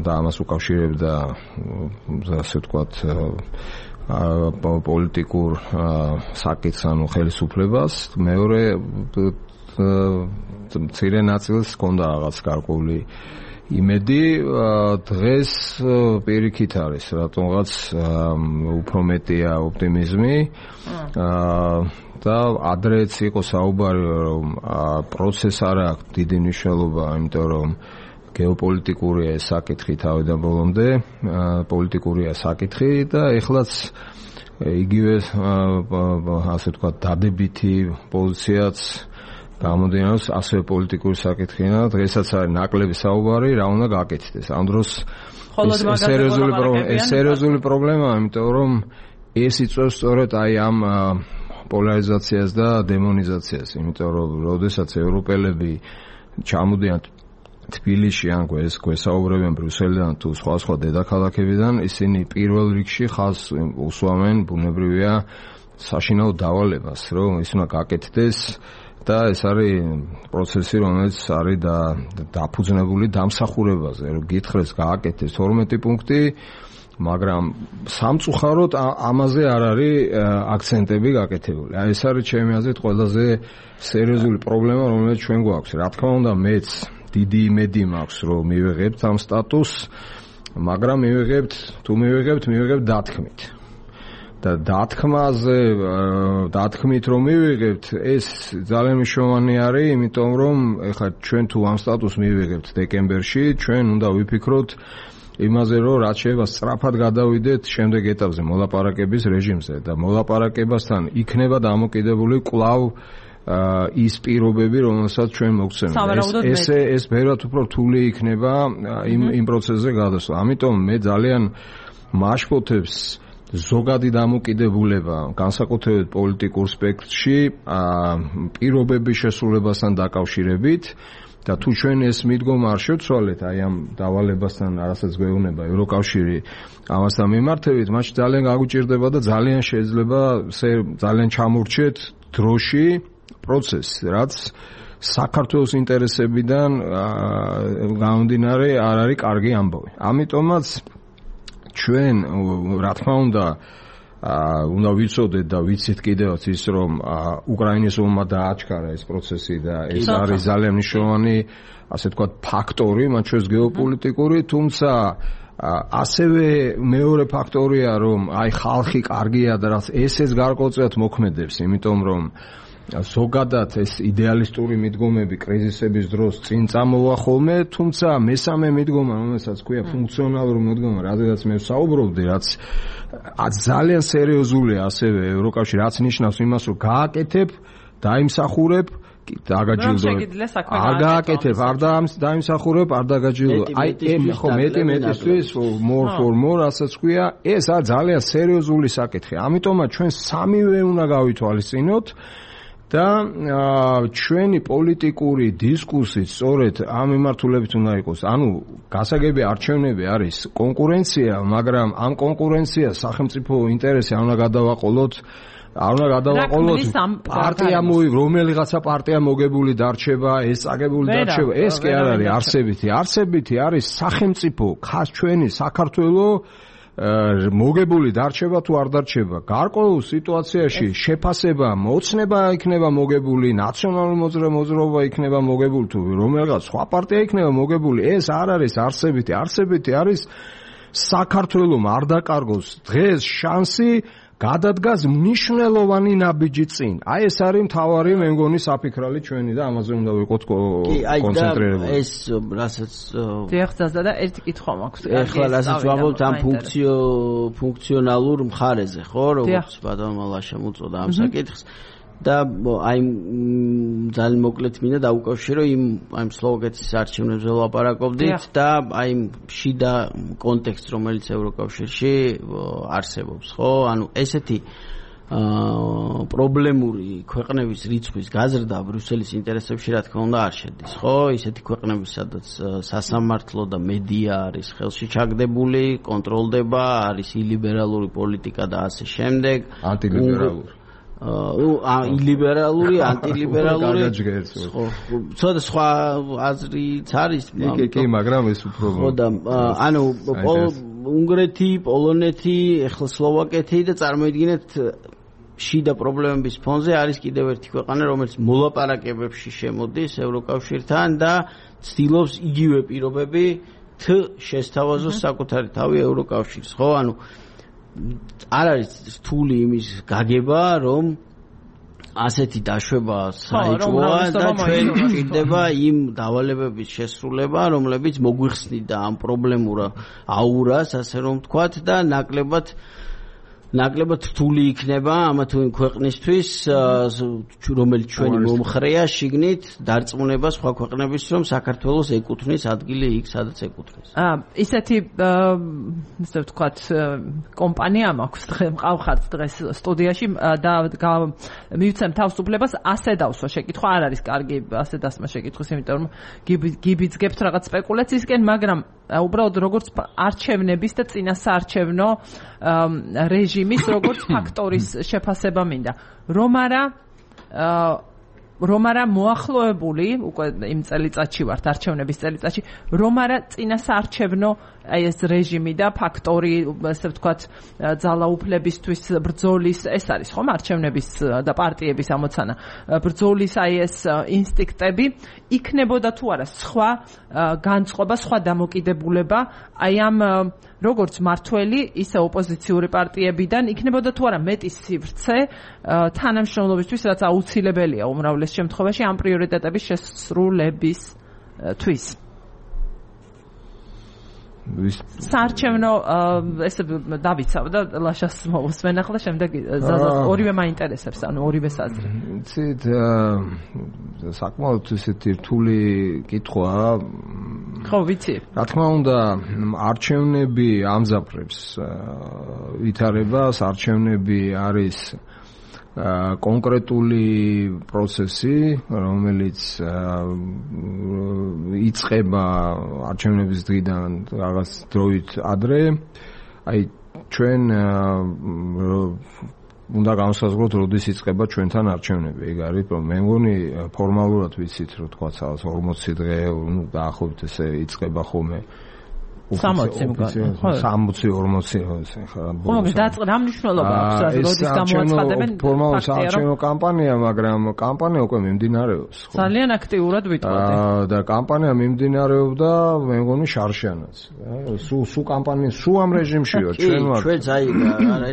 და ამას უკავშირებდა ასე ვთქვათ პოლიტიკურ საკითხს ანუ ხელისუფლებას. მეორე მცირე ნაწილს ჰქონდა რაღაც გარკვეული იმედი. დღეს პირიქით არის რატომღაც უფრო მეტია ოპტიმიზმი და ადრეც იყო საუბარი რომ პროცესს არ აქვს დიდი მნიშვნელობა, იმიტომ რომ გეოპოლიტიკურია ეს საკითხი თავიდან ბოლომდე, პოლიტიკურია საკითხი და ეხლაც იგივე ასე ვთქვათ დადებითი პოზიციაც გამოდიოს ასევე პოლიტიკური საკითხია. დღესაც არის ნაკლები საუბარი, რა უნდა გაკეთდეს. ამ დროს სერიოზული პრობლემა, სერიოზული პრობლემაა, იმიტომ რომ ეს იწვევს სწორედ აი ამ პოლარიზაციას და დემონიზაციას, იმიტომ რომ როდესაც ევროპელები ჩამოდიან თბილისში ან ეს გვესაუბრებენ ბრიუსელიდან თუ სხვა სხვა დედაქალაქებიდან, ისინი პირველ რიგში ხაზს უსვამენ, ბუნებრივია, საშინაო დავალებას, რომ ის უნდა გაკეთდეს და ეს არის პროცესი, რომელიც არის დაფუძნებული დამსახურებაზე, რომ გითხრეს გააკეთეს თორმეტი პუნქტი, მაგრამ სამწუხაროდ ამაზე არ არის აქცენტები გაკეთებული. აი ეს არის ჩემი აზრით ყველაზე სერიოზული პრობლემა, რომელიც ჩვენ გვაქვს. რა თქმა უნდა, მეც დიდი იმედი მაქვს, რომ მივიღებთ ამ სტატუსს, მაგრამ მივიღებთ, თუ მივიღებთ, მივიღებთ დათქმით. და დათქმაზე დათქმით რომ მივიღებთ ეს ძალიან მნიშვნელოვანი არის, იმიტომ რომ ეხლა ჩვენ თუ ამ სტატუსს მივიღებთ დეკემბერში, ჩვენ უნდა ვიფიქროთ იმაზე რომ რაც შეიძლება სწრაფად გადავიდეთ შემდეგ ეტაპზე მოლაპარაკების რეჟიმზე და მოლაპარაკებასთან იქნება დამოკიდებული კვლავ ის პირობები, რომელსაც ჩვენ მოგცემთ. ეს ეს ბევრად უფრო რთული იქნება იმ იმ პროცესზე გადასვლა. ამიტომ მე ძალიან მაშფოთებს ზოგადი დამოკიდებულება განსაკუთრებით პოლიტიკურ სპექტრში პირობების შესრულებასთან დაკავშირებით და თუ ჩვენ ეს მიდგომა არ შევცვალეთ აი ამ დავალებასთან, რასაც გვეუბნება ევროკავშირი ამასთან მიმართებით, მაშინ ძალიან გაგვიჭირდება და ძალიან შეიძლება ძალიან ჩამორჩეთ დროში პროცესს, რაც საქართველოს ინტერესებიდან გამომდინარე არ არის კარგი ამბავი. ამიტომაც ჩვენ რა თქმა უნდა უნდა ვიცოდეთ და ვიცით კიდევაც ის რომ უკრაინის ომმა დააჩქარა ეს პროცესი და ეს არის ძალიან მნიშვნელოვანი ასე ვთქვათ ფაქტორი მათ შორის გეოპოლიტიკური, თუმცა ასევე მეორე ფაქტორია რომ აი ხალხი კარგია და რაც ესეც გარკვეულწილად მოქმედებს, იმიტომ რომ ზოგადად ეს იდეალისტური მიდგომები კრიზისების დროს წინ წამოვა ხოლმე, თუმცა მესამე მიდგომა, რომელსაც ქვია ფუნქციონალური მიდგომა, რადგანაც მე ვსაუბრობდი, რაც ძალიან სერიოზულია ასევე ევროკავშირი, რაც ნიშნავს იმას, რომ გააკეთებ, დაიმსახურებ, დაგაჯილდო. არ გააკეთებ, არ დაიმსახურებ, არ დაგაჯილდო. აი ეს ხო მეტი მეტისთვის more for more, რასაც ქვია, ეს არის ძალიან სერიოზული საკითხი. ამიტომაც ჩვენ სამივე უნდა გავითვალისწინოთ და ჩვენი პოლიტიკური დისკურსი სწორედ ამ მიმართულებით უნდა იყოს. ანუ გასაგები არჩევნები არის კონკურენცია, მაგრამ ამ კონკურენციას სახელმწიფო ინტერესი არ უნდა გადავაყოლოთ, არ უნდა გადავაყოლოთ პარტია მოი რომელიღაცა პარტია მოგებული დარჩება, ეს წაგებული დარჩება, ეს კი არ არის არსებითი. არსებითი არის სახელმწიფო ხას ჩვენი საქართველოს მოგებული დარჩება თუ არ დარჩება. გარკვეულ სიტუაციაში შეფასება, მოცნება იქნება მოგებული, ნაციონალური მოძრაობა იქნება მოგებული თუ რომელიღაც სხვა პარტია იქნება მოგებული, ეს არ არის არსებითი. არსებითი არის საქართველოს არ დაკარგოს დღეს შანსი გადადგას მნიშვნელოვანი ნაბიჯი წინ. აი ეს არის მთავარი მე მგონი საფიქრალი ჩვენი და ამაზე უნდა ვიყოთ კონცენტრირებული. ეს რასაც დიახსა და ერთი კითხვა მაქვს. ეხლა რასაც ვამბობთ ამ ფუნქციო ფუნქციონალურ მხარეზე, ხო, როგორც ბატონმა ლაშამ უწოდა ამ საკითხს. და აი ძალიან მოკლედ მინდა დაუკავშირო იმ აი სლოვაკეთის არჩევნებზე ვლაპარაკობდით და აი შიდა კონტექსტს, რომელიც ევროკავშირში არსებობს, ხო? ანუ ესეთი პრობლემური ქვეყნების რიცხვის გაზრდა ბრიუსელის ინტერესებში რა თქმა უნდა არ შედის, ხო? ისეთი ქვეყნები, სადაც სასამართლო და მედია არის ხელში ჩაგდებული, კონტროლდება, არის ილიბერალური პოლიტიკა და ასე შემდეგ. ანტილიბერალური ლიბერალური, ანტილიბერალური, ცოტა სხვა აზრიც არის. კი, კი, მაგრამ ეს უფრო ხო და ანუ უნგრეთი, პოლონეთი, ახლა სლოვაკეთი და წარმოიდგინეთ შიდა პრობლემების ფონზე არის კიდევ ერთი ქვეყანა, რომელიც მოლაპარაკებებში შემოდის ევროკავშირთან და ცდილობს იგივე პირობები შესთავაზოს საკუთარი თავი ევროკავშირს, ხო? ანუ არ არის რთული იმის გაგება, რომ ასეთი დაშვება საეჭვოა და ჩვენ გვჭირდება იმ დავალებების შესრულება, რომლებიც მოგვიხსნიდა ამ პრობლემურ აურას, ასე რომ ვთქვათ, და ნაკლებად ნაკლებად რთული იქნება ამა თუ იმ ქვეყნისთვის, რომელიც ჩვენი მომხრეა შიგნით დარწმუნება სხვა ქვეყნების, რომ საქართველოს ეკუთვნის ადგილი იქ, სადაც ეკუთვნის. აა ისეთი ისე ვთქვათ კომპანია მაქვს დღე მყავხართ დღეს სტუდიაში და მივცემ თავისუფლებას ასე დავსვა შეკითხვა, არ არის კარგი ასე დასმა შეკითხვის, იმიტომ რომ გიბიძგებთ რაღაც სპეკულაციისკენ, მაგრამ უბრალოდ როგორც არჩევნების და წინასაარჩევნო რეჟიმის როგორც ფაქტორის შეფასება მინდა. რომ არა რომ არა მოახლოებული უკვე იმ წელიწადში ვართ არჩევნების წელიწადში, რომ არა წინასაარჩევნო აი ეს რეჟიმი და ფაქტორი, ასე ვთქვათ, ძალაუფლებისთვის ბრძოლის, ეს არის ხომ არჩევნების და პარტიების ამოცანა. ბრძოლის აი ეს ინსტინქტები იქნებოდა თუ არა სხვა განწყობა, სხვა დამოკიდებულება აი ამ როგორც მართველი, ისე ოპოზიციური პარტიებიდან იქნებოდა თუ არა მეტი სივრცე თანამშრომლობისთვის, რაც აუცილებელია უმრავლეს შემთხვევაში ამ პრიორიტეტების შესრულებისთვის. საარჩევნო ესე დავიცავ და ლაშას მოვუსმენ ახლა შემდეგ ზაზას ორივე მაინტერესებს, ანუ ორივე საზრი. იცით, საკმაოდ ესეთი რთული კითხვაა. ხო, ვიცი. რა თქმა უნდა, არჩევნები ამზაფრებს ვითარებას, არჩევნები არის კონკრეტული პროცესი, რომელიც იწყება არჩევნების დღიდან რაღაც დროით ადრე. აი ჩვენ უნდა განსაზღვროთ, როდის იწყება ჩვენთან არჩევნები. ეგ არის, რომ მე მგონი ფორმალურად ვიცით, რომ თქვა ორმოცი დღე, ნუ დაახლოებით ესე იწყება ხოლმე. სამოცი მგონი. სამოცი ორმოცი ხა. ხო, რა მნიშვნელობა აქვს, როდის გამოაცხადებენ ფაქტია, რომ არჩევნო კამპანია, მაგრამ კამპანია უკვე მიმდინარეობს. ძალიან აქტიურად ვიტყოდი. და კამპანია მიმდინარეობდა, მე მგონი შარშიანაც. სულ სულ კამპანია, სულ ამ რეჟიმშია, ჩვენ ვართ. ჩვენც აი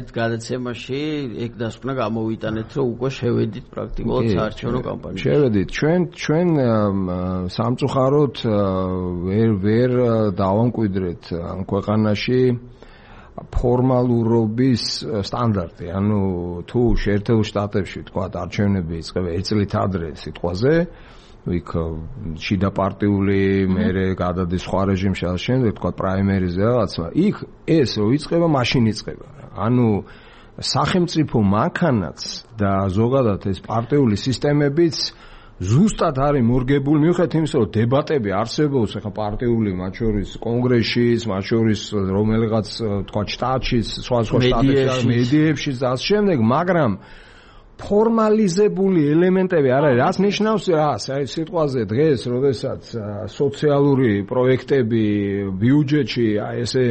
ერთ გადაცემაში ეგ დასკვნა გამოვიტანეთ, რომ უკვე შევედით პრაქტიკულად საარჩევნო კამპანიაში. შევედით. ჩვენ ჩვენ სამწუხაროდ ვერ ვერ დავამკვიდრეთ ქვეყანაში ფორმალურობის სტანდარტი, ანუ თუ შეერთებულ შტატებში თქვა არჩევნები იწყება ერთ წლით ადრე სიტყვაზე, იქ შიდა პარტიული მერე გადადის სხვა რეჟიმში, ამ შემდეგ თქვა პრაიმერიზე რაღაცა, იქ ეს რო იწყება, მაშინ იწყება. ანუ სახელმწიფო მანქანაც და ზოგადად ეს პარტიული სისტემებიც ზუსტად არის მორგებული, მიუხედავად იმისა, რომ დებატები არსებობს ახლა პარტიული, მათ შორის კონგრესშიც, მათ შორის რომელიღაც თქვა შტატშიც, სხვა სხვა შტატებში, მედიებში და ამ შემდეგ, მაგრამ ფორმალიზებული ელემენტები არ არის. რაც ნიშნავს რას? აი სიტყვაზე დღეს, როდესაც სოციალური პროექტები ბიუჯეტში აი ესე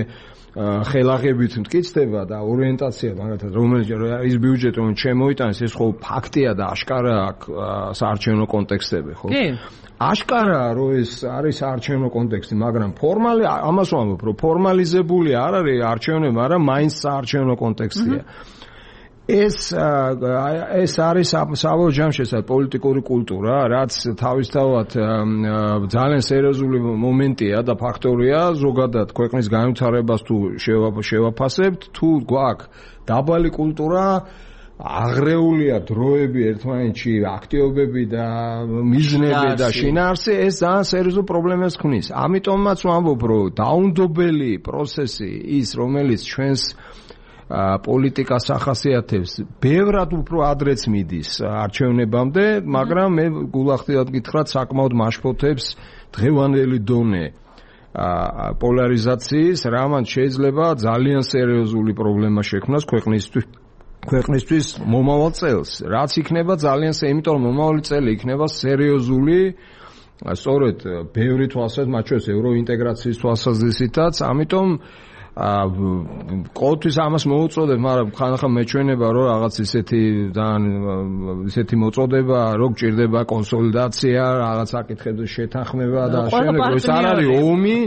ხელაღებით მტკიცდება და ორიენტაცია მაგალითად რომელიც ის ბიუჯეტი რომ შემოიტანეს ეს ხო ფაქტია და აშკარა აქვს საარჩევნო კონტექსტები ხო? კი. აშკარაა რომ ეს არის საარჩევნო კონტექსტი, მაგრამ ფორმალი ამას ვამბობ რომ ფორმალიზებული არ არის არჩევნები, მაგრამ მაინც საარჩევნო კონტექსტია. ეს ეს არის საბოლოო ჯამში ეს პოლიტიკური კულტურა, რაც თავისთავად ძალიან სერიოზული მომენტია და ფაქტორია ზოგადად ქვეყნის განვითარებას თუ შევაფასებთ, თუ გვაქვს დაბალი კულტურა, აღრეულია დროები ერთმანეთში, აქტივობები და მიზნები და შინაარსი, ეს ძალიან სერიოზულ პრობლემას ქმნის. ამიტომაც ვამბობ, რომ დაუნდობელი პროცესი ის, რომელიც ჩვენს პოლიტიკას ახასიათებს, ბევრად უფრო ადრეც მიდის არჩევნებამდე, მაგრამ მე გულახდილად გითხრათ, საკმაოდ მაშფოთებს დღევანდელი დონე პოლარიზაციის, რამაც შეიძლება ძალიან სერიოზული პრობლემა შექმნას ქვეყნისთვის ქვეყნისთვის მომავალ წელს. რაც იქნება ძალიან სე, იმიტომ რომ მომავალი წელი იქნება სერიოზული, სწორედ ბევრი თვალსაზრისით, მათ შორის ევროინტეგრაციის თვალსაზრისითაც, ამიტომ ყოველთვის ამას მოუწოდებ, მაგრამ ხანახან მეჩვენება, რომ რაღაც ისეთი ძალიან ისეთი მოწოდება, რომ გჭირდება კონსოლიდაცია, რაღაც საკითხებზე შეთანხმება და შემდეგ ეს არ არის ომი,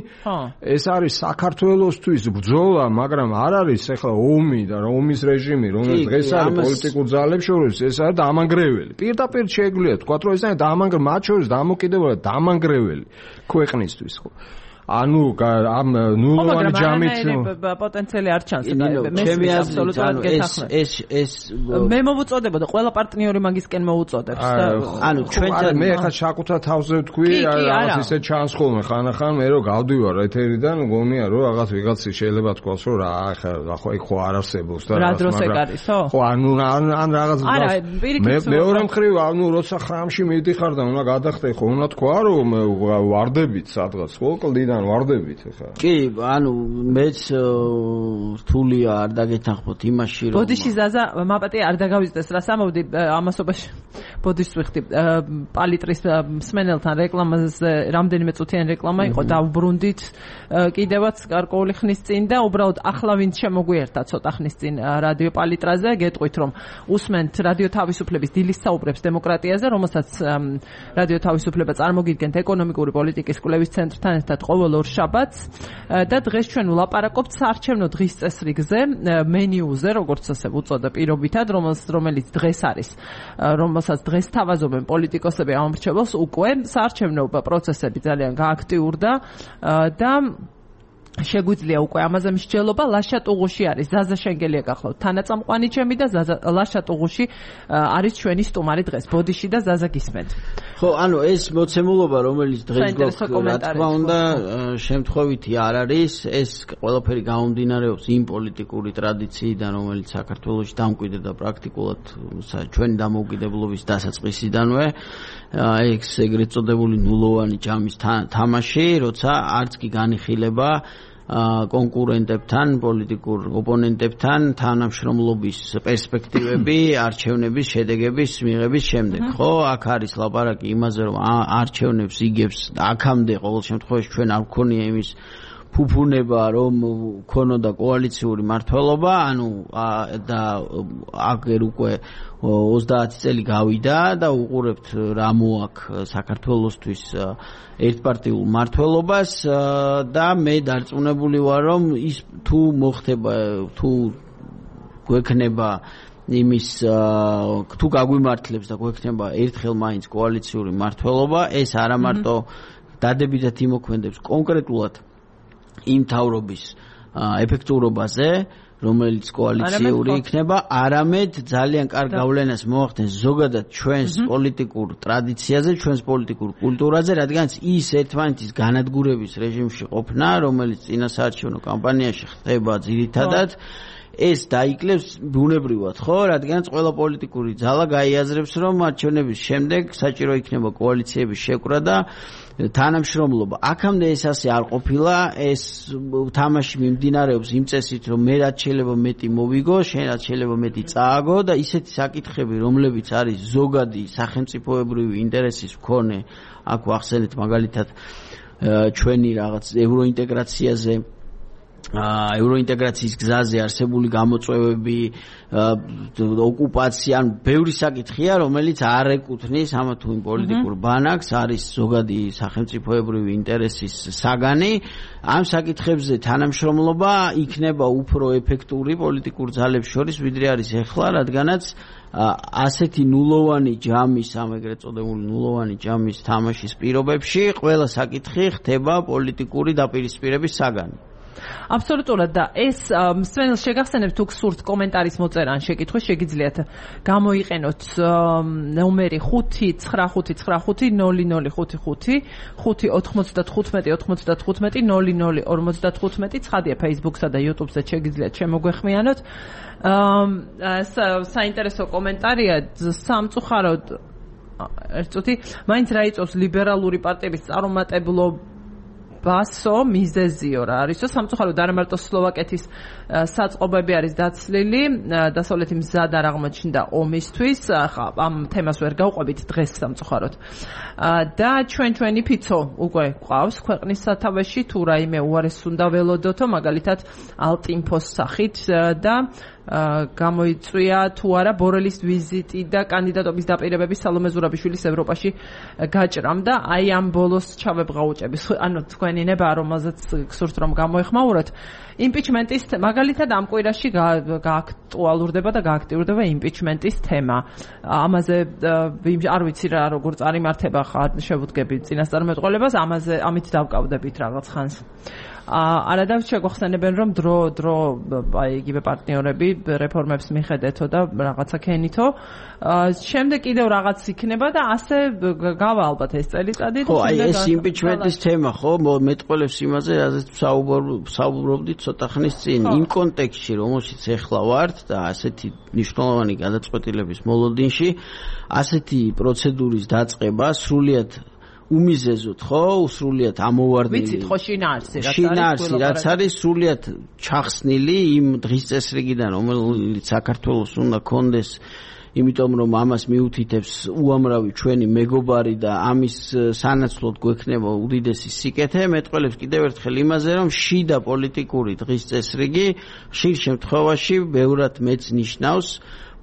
ეს არის საქართველოსთვის ბრძოლა, მაგრამ არ არის ახლა ომი და ომის რეჟიმი, რომელიც დღეს არის პოლიტიკურ ძალებს შორის, ეს არის დამანგრეველი. პირდაპირ შეგვიძლია თქვა, რომ ეს არის დამანგრეველი, მათ შორის დამოკიდებულება დამანგრეველი ქვეყნისთვის, ხო? ანუ ამ ნულოვანი ჯამით პოტენციალი არ ჩანს. მე აბსოლუტურად გეთახმები. ეს ეს მე მოვუწოდებო და ყველა პარტნიორი მაგისკენ მოუწოდებს და ანუ ჩვენთან მე ახლა საკუთარ თავზე ვთქვი, რაღაც ისე ჩანს ხოლმე ხანახან მე რომ გავდივარ ეთერიდან, გონია რომ რაღაც ვიღაცი შეიძლება თქვას რომ რა ახლა ხო ეგ ხო არ არსებობს და რა დროს ეგ არისო? ხო ანუ ან რაღაც მე მეორე მხრივ ანუ როცა ხრამში მიდიხარ და უნდა გადახდე ხო უნდა თქვა რომ ვარდებით სადღაც ხო კლდიდან ვარდებით ხა. კი, ანუ მეც რთულია არ დაგეთანხმოთ იმაში რომ ბოდიში ზაზა მაპატი არ დაგავიწყდეს რას ამბობდი ამასობაში ბოდიშ ვიხდი პალიტრის მსმენელთან რეკლამაზე რამდენიმე წუთიანი რეკლამა იყო დავბრუნდით კიდევაც გარკვეული ხნის წინ და უბრალოდ ახლა ვინც შემოგვიერთა ცოტა ხნის წინ რადიო პალიტრაზე გეტყვით რომ უსმენთ რადიო თავისუფლების დილის საუბრებს დემოკრატიაზე რომელსაც რადიო თავისუფლება წარმოგიდგენთ ეკონომიკური პოლიტიკის კვლევის ცენტრთან ერთად ყოველ ორ შაბათს და დღეს ჩვენ ვლაპარაკობთ საარჩევნო დღის წესრიგზე მენიუზე როგორც ასე უწოდა პირობითად რომელიც დღეს არის რომელსაც დღეს თავაზობენ პოლიტიკოსები ამორჩეველს უკვე საარჩევნო პროცესები ძალიან გააქტიურდა და შეგვიძლია უკვე ამაზე მსჯელობა ლაშა ტუღუში არის ზაზა შენგელია გახლავთ თანაწამყვანი ჩემი და ლაშა ტუღუში არის ჩვენი სტუმარი დღეს ბოდიში და ზაზა გისმენთ ხო ანუ ეს მოცემულობა რომელიც დღეს გვაქვს რა თქმა უნდა შემთხვევითი არ არის ეს ყველაფერი გამომდინარეობს იმ პოლიტიკური ტრადიციიდან რომელიც საქართველოში დამკვიდრდა პრაქტიკულად ჩვენი დამოუკიდებლობის დასაწყისიდანვე ეს ეგრეთ წოდებული ნულოვანი ჯამის თამაში როცა არც კი განიხილება კონკურენტებთან, პოლიტიკურ ოპონენტებთან თანამშრომლობის პერსპექტივები, არჩევნების შედეგების მიღების შემდეგ. ხო, აქ არის ლაპარაკი იმაზე, რომ არჩევნებს იგებს აქამდე ყოველ შემთხვევაში ჩვენ არ გქონია იმის ფუფუნება, რომ ქონოდა კოალიციური მართლობა, ანუ და აგერ უკვე ოცდაათი წელი გავიდა და უყურებთ რა მოაქვს საქართველოსთვის ერთპარტიულ მართლობას და მე დარწმუნებული ვარ რომ ის თუ მოხდება თუ გვექნება იმის თუ გაგვიმართლებს და გვექნება ერთხელ მაინც კოალიციური მართლობა ეს არა მარტო დადებითად იმოქმედებს კონკრეტულად იმ თავრობის ეფექტურობაზე რომელიც კოალიციური იქნება, არამედ ძალიან კარგ გავლენას მოახდენს ზოგადად ჩვენს პოლიტიკურ ტრადიციაზე, ჩვენს პოლიტიკურ კულტურაზე, რადგანაც ის ერთმანეთის განადგურების რეჟიმში ყოფნა, რომელიც წინასაარჩევნო კამპანიაში ხდება ძირითადად, ეს დაიკლებს ბუნებრივად, ხო, რადგანაც ყველა პოლიტიკური ძალა გაიაზრებს, რომ არჩევნების შემდეგ საჭირო იქნება კოალიციების შეკრა და თანამშრომლობა. აქამდე ეს ასე არ ყოფილა, ეს თამაში მიმდინარეობს იმ წესით, რომ მე რაც შეიძლება მეტი მოვიგო, შენ რაც შეიძლება მეტი წააგო და ისეთი საკითხები, რომლებიც არის ზოგადი სახელმწიფოებრივი ინტერესის მქონე, აქ ვახსენეთ მაგალითად ჩვენი რაღაც ევროინტეგრაციაზე ევროინტეგრაციის გზაზე არსებული გამოწვევები, ოკუპაცია, ან ბევრი საკითხია, რომელიც არ ეკუთვნის ამა თუ იმ პოლიტიკურ ბანაკს, არის ზოგადი სახელმწიფოებრივი ინტერესის საგანი. ამ საკითხებზე თანამშრომლობა იქნება უფრო ეფექტური პოლიტიკურ ძალებს შორის, ვიდრე არის ეხლა, რადგანაც ასეთი ნულოვანი ჯამის, ამ ეგრეთ წოდებული ნულოვანი ჯამის თამაშის პირობებში ყველა საკითხი ხდება პოლიტიკური დაპირისპირების საგანი. აბსოლუტურად და ეს მსმენელს შეგახსენებთ თუ გსურთ კომენტარის მოწერა ან შეკითხვა შეგიძლიათ გამოიყენოთ ნომერი ხუთი ცხრა ხუთი ცხრა ხუთი ნული ნული ხუთი ხუთი ხუთი ოთხმოცდათხუთმეტი ოთხმოცდათხუთმეტი ნული ნული ორმოცდათხუთმეტი ცხადია Facebook-სა და YouTube-ზე შეგიძლიათ შემოგვეხმიანოთ. საინტერესო კომენტარია სამწუხაროდ ერთ წუთი მაინც რა იწევს ლიბერალური პარტიების წარუმატებლობა ბასო მიზეზიო რა არისო სამწუხაროდ არა მარტო სლოვაკეთის საწყობები არის დაცლილი დასავლეთი მზად არ აღმოჩნდა ომისთვის ხა ამ თემას ვერ გავყვებით დღეს სამწუხაროდ და ჩვენ ჩვენი ფიცო უკვე ყავს ქვეყნის სათავეში თუ რაიმე უარეს უნდა ველოდოთო მაგალითად ალტინფოს სახით და გამოიწვია თუ არა ბორელის ვიზიტი და კანდიდატობის დაპირებები სალომე ზურაბიშვილის ევროპაში გაჭრამ და აი ამ ბოლოს ჩავებღაუჭების ანუ თქვენი ნება რომელზეც გსურთ რომ გამოეხმაუროთ იმპიჩმენტის მაგალითად ამ კვირაში გააქტუალურდება და გააქტიურდება იმპიჩმენტის თემა ამაზე არ ვიცი რა როგორ წარიმართება ხარ შევუდგები წინასწარმეტყველებას ამაზე ამით დავკავდებით რაღაც ხანს არადავ შეგვახსენებენ რომ დრო დრო აი იგივე პარტნიორები რეფორმებს მიხედეთო და რაღაცა ქენითო შემდეგ კიდევ რაღაც იქნება და ასე გავა ალბათ ეს წელიწადი ხო აი ეს იმპიჩმენტის თემა ხო მეტყველებს იმაზე რაზეც ვსაუბრობდით ცოტა ხნის წინ იმ კონტექსტში რომელშიც ეხლა ვართ და ასეთი მნიშვნელოვანი გადაწყვეტილების მოლოდინში ასეთი პროცედურის დაწყება სრულიად უმიზეზოთ ხო სრულიად ამოვარდნილი ვიცით ხო შინაარსი რაც არის შინაარსი რაც არის სრულიად ჩახსნილი იმ დღის წესრიგიდან რომელიც საქართველოს უნდა კონდეს იმიტომ რომ ამას მიუთითებს უამრავი ჩვენი მეგობარი და ამის სანაცვლოდ გვექნება უდიდესი სიკეთე. მეტყველებს კიდევ ერთხელ იმაზე, რომ შიდა პოლიტიკური დღის წესრიგი ხშირ შემთხვევაში ბევრად მეც ნიშნავს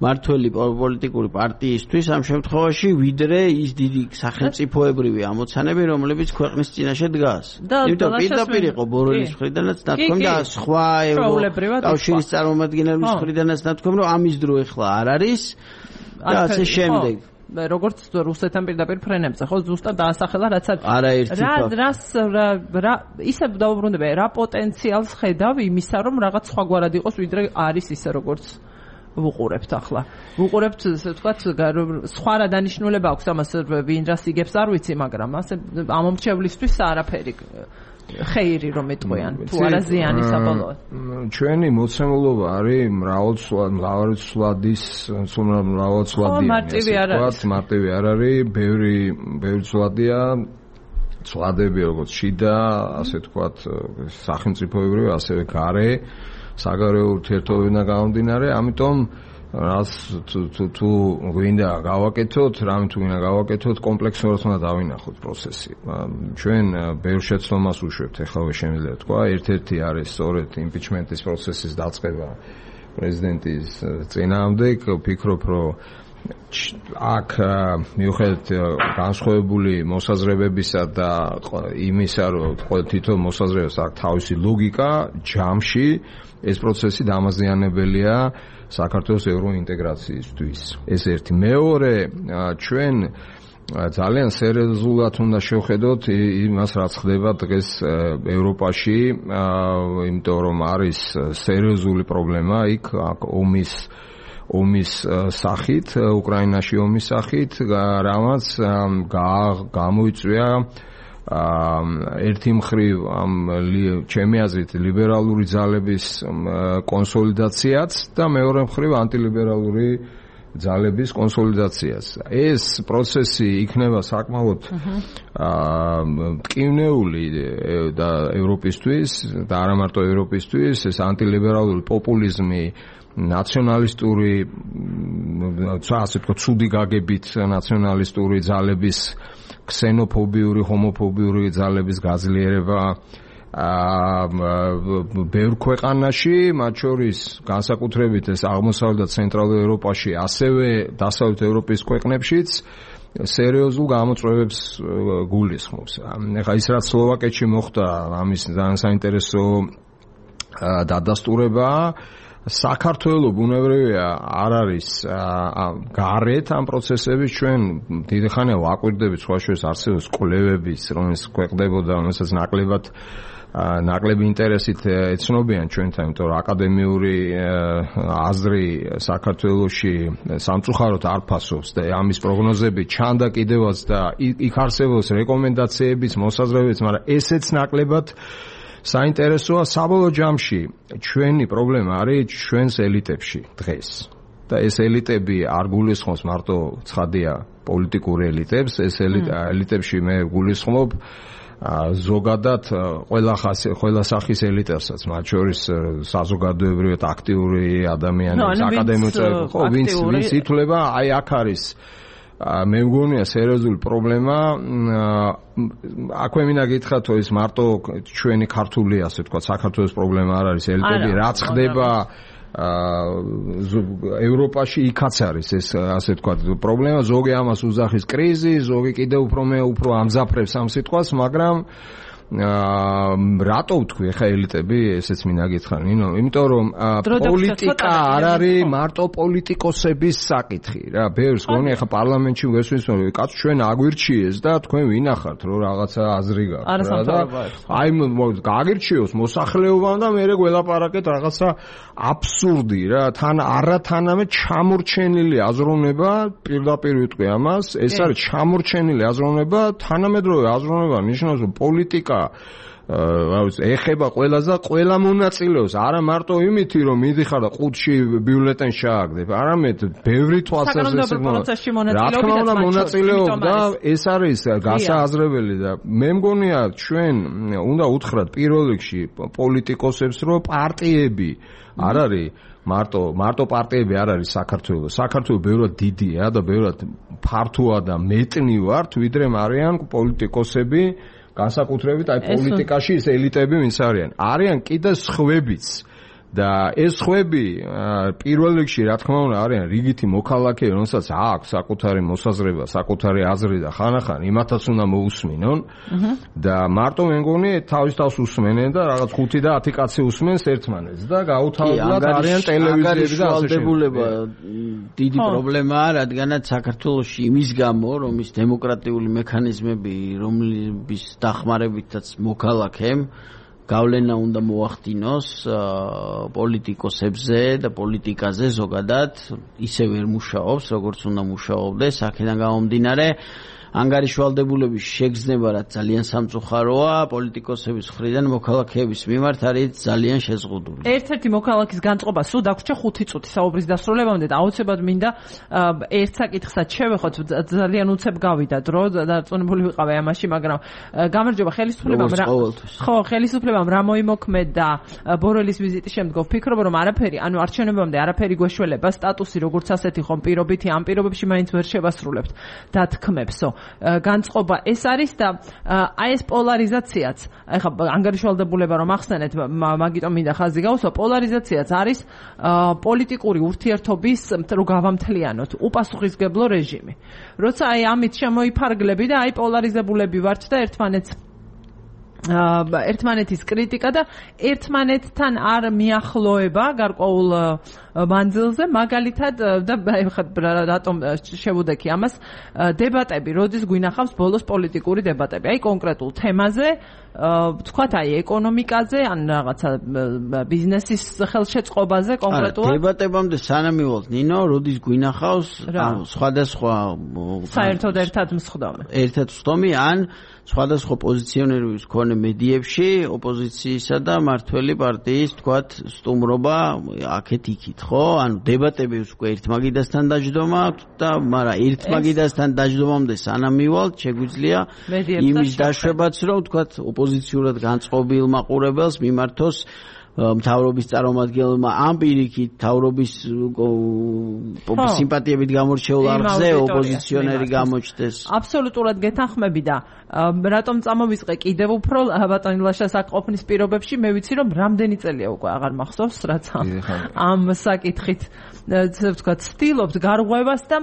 მართველი პოლიტიკური პარტიისთვის ამ შემთხვევაში, ვიდრე ის დიდი სახელმწიფოებრივი ამოცანები, რომლებიც ქვეყნის წინაშე დგას. იმიტომ პირდაპირ იყო ბორელის მხრიდანაც ნათქვამი და სხვა კავშირის წარმომადგენლების მხრიდანაც ნათქვამი, რომ ამის დრო ეხლა არ არის და ასე შემდეგ. როგორც რუსეთთან პირდაპირ ფრენებზე, ხო, ზუსტად დაასახელა, რაც არაერთი რას რა ისე დაუბრუნდება, რა პოტენციალს ხედავ იმისა, რომ რაღაც სხვაგვარად იყოს, ვიდრე არის ისე, როგორც ვუყურებთ ახლა. ვუყურებთ, ასე ვთქვათ, სხვა რა დანიშნულება აქვს ამას, ვინ რას იგებს არ ვიცი, მაგრამ ასე ამომრჩევლისთვის არაფერი ხეირი რომ ეტყვიან, თუ არა ზიანი საბოლოოდ. ჩვენი მოცემულობა არის მრავალცვლადის, მრავალცვლადიანი, ასე ვთქვათ, მარტივი არ არის, ბევრი ბევრი ცვლადია, ცვლადები როგორც შიდა, ასე ვთქვათ, სახელმწიფოებრივი, ასევე გარე საგარეო ურთიერთობებიდან გამომდინარე, ამიტომ რას თუ გვინდა გავაკეთოთ, რამე თუ გვინდა გავაკეთოთ, კომპლექსურად უნდა დავინახოთ პროცესი. ჩვენ ბევრ შეცდომას უშვებთ, ეხლა შემიძლია თქვა, ერთ-ერთი არის სწორედ იმპიჩმენტის პროცესის დაწყება პრეზიდენტის წინააღმდეგ. ვფიქრობ, რომ აქ მიუხედავად განსხვავებული მოსაზრებებისა და იმისა, რომ თითო მოსაზრებას აქვს თავისი ლოგიკა, ჯამში ეს პროცესი დამაზიანებელია საქართველოს ევროინტეგრაციისთვის. ეს ერთი. მეორე, ჩვენ ძალიან სერიოზულად უნდა შევხედოთ იმას, რაც ხდება დღეს ევროპაში, იმიტომ რომ არის სერიოზული პრობლემა იქ, აქ ომის ომის სახით, უკრაინაში ომის სახით, რამაც გამოიწვია ერთი მხრივ ამ ჩემი აზრით ლიბერალური ძალების კონსოლიდაციაც და მეორე მხრივ ანტილიბერალური ძალების კონსოლიდაციას. ეს პროცესი იქნება საკმაოდ მტკივნეული და ევროპისთვის და არა მარტო ევროპისთვის, ეს ანტილიბერალური პოპულიზმი, ნაციონალისტური, ასე ვთქვათ, ცუდი გაგებით ნაციონალისტური ძალების, ქსენოფობიური, ჰომოფობიური ძალების გაძლიერება ბევრ ქვეყანაში, მათ შორის განსაკუთრებით ეს აღმოსავლეთ და ცენტრალურ ევროპაში, ასევე დასავლეთ ევროპის ქვეყნებშიც სერიოზულ გამოწვევებს გულისხმობს. ეხლა ის რაც სლოვაკეთში მოხდა, ამის ძალიან საინტერესო დადასტურებაა. საქართველო ბუნებრივია არ არის გარეთ ამ პროცესების. ჩვენ დიდი ხანია ვაკვირდებით, სხვა შორის არსებობს კვლევებიც, რომელიც ქვეყნდებოდა, რომელსაც ნაკლებად ნაკლები ინტერესით ეცნობიან ჩვენთან, იმიტომ რომ აკადემიური აზრი საქართველოში სამწუხაროდ არ ფასობს და ამის პროგნოზები ჩანდა კიდევაც და იქ არსებობს რეკომენდაციებიც, მოსაზრებებიც, მაგრამ ესეც ნაკლებად საინტერესოა. საბოლოო ჯამში ჩვენი პრობლემა არის ჩვენს ელიტებში დღეს და ეს ელიტები არ გულისხმობს მარტო ცხადია პოლიტიკურ ელიტებს, ეს ელიტებში მე გულისხმობ ზოგადად ყველა ხასი ყველა სახის ელიტასაც, მათ შორის საზოგადოებრივად აქტიური ადამიანებს, აკადემიურ წევრებს, ხო, ვინც ვინც ითვლება, აი აქ არის მე მგონია სერიოზული პრობლემა. აქვე მინდა გითხრათ, ის მარტო ჩვენი ქართული, ასე ვთქვათ, საქართველოს პრობლემა არ არის, ელიტები რაც ხდება ევროპაში იქაც არის ეს, ასე ვთქვათ, პრობლემა. ზოგი ამას უძახის კრიზი, ზოგი კიდევ უფრო მე უფრო ამძაფრებს ამ სიტყვას, მაგრამ რატო ვთქვი ახლა ელიტები, ესეც მინდა გითხრა, ნინო, იმიტომ რომ პოლიტიკა არ არის მარტო პოლიტიკოსების საკითხი რა. ბევრს გონი ახლა პარლამენტში ვესვენს, რომ კაც ჩვენ აგვირჩიეს და თქვენ ვინახართ, რომ რაღაცა აზრი გაქვთ რა და აი გაგირჩიოს მოსახლეობამ და მე გველაპარაკეთ რაღაცა აბსურდი რა. თან არათანამე ჩამორჩენილი აზროვნება, პირდაპირ ვიტყვი ამას, ეს არის ჩამორჩენილი აზროვნება, თანამედროვე აზროვნება ნიშნავს, რომ პოლიტიკა ეხება ყველას და ყველა მონაწილეობს, არა მარტო იმითი რომ მიდიხარ და ყუთში ბიულეტენს შააგდებ, არამედ ბევრი თვალსაზრისით რა თქმა უნდა მონაწილეობდა, ეს არის გასააზრებელი და მე მგონია ჩვენ უნდა უთხრათ პირველ რიგში პოლიტიკოსებს, რომ პარტიები არ არის მარტო მარტო პარტიები არ არის საქართველოს. საქართველოს ბევრად დიდია და ბევრად ფართოა და მეტნი ვართ, ვიდრე არიან პოლიტიკოსები, განსაკუთრებით აი პოლიტიკაში ეს ელიტები ვინც არიან. არიან კიდე სხვებიც. და ეს ხვები პირველ რიგში რა თქმა უნდა არიან რიგითი მოქალაქეები, რომელსაც აქვს საკუთარი მოსაზრება, საკუთარი აზრი და ხანახან იმათაც უნდა მოусმინონ და მარტო მე მგონი თავის თავს უსმენენ და რაღაც ხუთი და ათი კაცი უსმენს ერთმანეთს და გაუთავებლად არიან ტელევიზიები და ასე შემდეგ. დიდი პრობლემაა, რადგანაც საქართველოში იმის გამო, რომ ის დემოკრატიული მექანიზმები, რომლის დახმარებითაც მოქალაქემ გავლენა უნდა მოახდინოს პოლიტიკოსებზე და პოლიტიკაზე ზოგადად, ისე ვერ მუშაობს, როგორც უნდა მუშაობდეს, აქედან გამომდინარე ანგარიშვალდებულების შეგრძნება რაც ძალიან სამწუხაროა, პოლიტიკოსების მხრიდან მოქალაქეების მიმართ არის ძალიან შეზღუდული. ერთ-ერთი მოქალაქის განწყობა სულ დაგვრჩა ხუთი წუთი საუბრის დასრულებამდე და აუცილებლად მინდა ერთ საკითხსაც შევეხოთ, ძალიან უცებ გავიდა დრო და დარწმუნებული ვიყავი ამაში, მაგრამ გამარჯობა ხელისუფლებამ რა ხო, ხელისუფლებამ რა მოიმოქმედა ბორელის ვიზიტის შემდგომ ვფიქრობ, რომ არაფერი, ანუ არჩევნებამდე არაფერი გვეშველება, სტატუსი როგორც ასეთი ხომ პირობითი, ამ პირობებში მაინც ვერ შევასრულებთ დათქმებსო. განწყობა ეს არის და აი ეს პოლარიზაციაც, ეხლა ანგარიშვალდებულება რომ ახსენეთ, მაგიტომ მინდა ხაზი გავუსვა, პოლარიზაციაც არის პოლიტიკური ურთიერთობის რო გავამთლიანოთ, უპასუხისგებლო რეჟიმი. როცა აი ამით შემოიფარგლები და აი პოლარიზებულები ვართ და ერთმანეთს ერთმანეთის კრიტიკა და ერთმანეთთან არ მიახლოება გარკვეულ მანძილზე, მაგალითად და რატომ შევუდექი ამას, დებატები, როდის გვინახავს ბოლოს პოლიტიკური დებატები, აი კონკრეტულ თემაზე, თქვათ აი ეკონომიკაზე, ან რაღაცა ბიზნესის ხელშეწყობაზე კონკრეტულად. დებატებამდე სანამ მივალთ, ნინო, როდის გვინახავს სხვადასხვა საერთოდ ერთად მსხდომი. ერთად მსხდომი ან სხვადასხვა პოზიციონერების მქონე მედიებში ოპოზიციისა და მართველი პარტიის თქვათ სტუმრობა აქეთ-იქით, ხო? ანუ დებატები უკვე ერთმაგიდასთან დაждდომა აქვს და მაგრამ ერთმაგიდასთან დაждდომამდე სანამ მივალთ, შეგვიძლია იმის დაშვებაც, რომ თქვათ ოპოზიციურად განწყობილ მაყურებელს მიმართოს მთავრობის წარმომადგენელმა ამ პირიქით მთავრობის სიმპათიებით გამორჩეულ არხზე ოპოზიციონერი გამოჩნდეს. აბსოლუტურად გეთანხმები და რატომ წამოვისყე კიდევ უფრო ბატონი ლაშას აკყოფნის პირობებში, მე ვიცი რომ რამდენი წელია უკვე აღარ მახსოვს, რაც ამ საკითხით ვთქვათ ცდილობთ გარღვევას და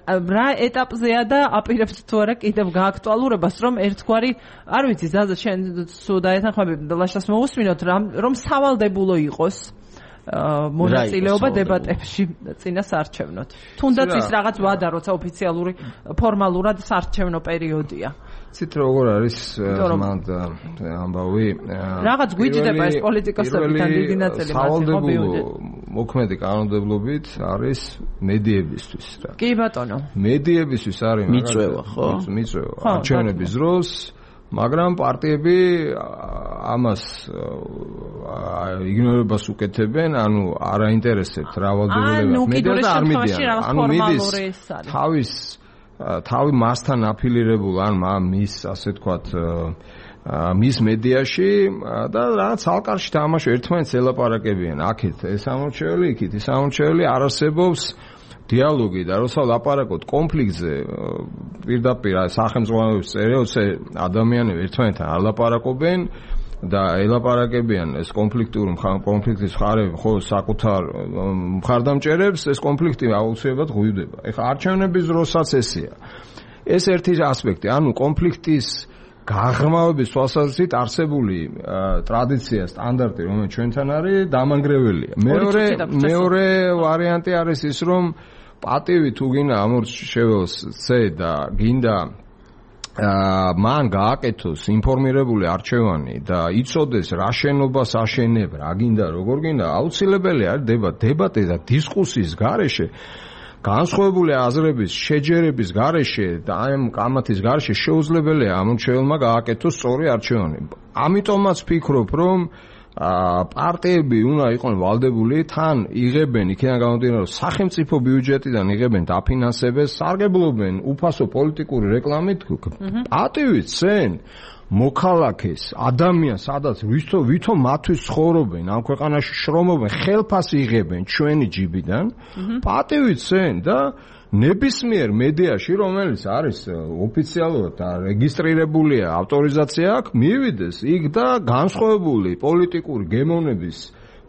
რა ეტაპზეა და აპირებთ თუ არა კიდევ გააქტუალურებას, რომ ერთგვარი არ ვიცი ზაზა შენ სულ დაეთანხმები ლაშას მოусმინოთ რომ სავალდებულო იყოს მონაწილეობა დებატებში წინა საარჩევნოდ. თუნდაც ის რაღაც ვადა, როცა ოფიციალური ფორმალურად საარჩევნო პერიოდია. ცით როგორ არის მანდ ამბავი რაღაც გვიჯდება ეს პოლიტიკოსებთან დიდი ნაწილი სავალდებულო მოქმედი კანონმდებლობით არის მედიებისთვის რა. კი ბატონო. მედიებისთვის არის მიწვევა, ხო? მიწვევა. არჩევნების დროს მაგრამ პარტიები ამას იგნორებას უკეთებენ, ანუ არ აინტერესებთ რავალდებულება. მედიას არ მიდიან. ანუ მიდის თავის თავი მასთან აფილირებულ ან მის ასე თქვათ მის მედიაში და რაღაც ალკარში თამაშო ერთმანეთს ელაპარაკებიან. აქეთ ეს ამორჩეული, იქით ის ამორჩეული, არ არსებობს დიალოგი და როცა ლაპარაკობთ კონფლიქტზე, პირდაპირ სახელმწიფოების წევრებზე ადამიანები ერთმანეთთან არ ლაპარაკობენ და ელაპარაკებიან ეს კონფლიქტურ კონფლიქტის მხარეები ხო საკუთარ მხარდამჭერებს, ეს კონფლიქტი აუცილებლად ღვივდება. ეხლა არჩევნების დროსაც ესეა. ეს ერთი ასპექტი, ანუ კონფლიქტის გაღრმავების თვალსაზრისით არსებული ტრადიცია, სტანდარტი, რომელიც ჩვენთან არის, დამანგრეველია. მეორე მეორე ვარიანტი არის ის, რომ პატივი თუ გინდა ამორჩეველს წე და გინდა მან გააკეთოს ინფორმირებული არჩევანი და იცოდეს რა შენობას აშენებ, რა გინდა, როგორ გინდა, აუცილებელი არის დებატი, დებატი და დისკუსიის გარეშე განსხვავებული აზრების შეჯერების გარეშე და ამ კამათის გარეშე შეუძლებელია ამორჩეველმა გააკეთოს სწორი არჩევანი. ამიტომაც ვფიქრობ, რომ პარტიები უნდა იყვნენ ვალდებული თან იღებენ იქიდან გამომდინარე რომ სახელმწიფო ბიუჯეტიდან იღებენ დაფინანსებას, სარგებლობენ უფასო პოლიტიკური რეკლამით, პატივით ცენ მოქალაქეს, ადამიანს, სადაც ვითომ ვითომ მათთვის ცხოვრობენ, ამ ქვეყანაში შრომობენ, ხელფასი იღებენ ჩვენი ჯიბიდან, პატივით ცენ და ნებისმიერ მედიაში, რომელიც არის ოფიციალურად და რეგისტრირებულია, ავტორიზაცია აქვს, მივიდეს იქ და განსხვავებული პოლიტიკური გემოვნების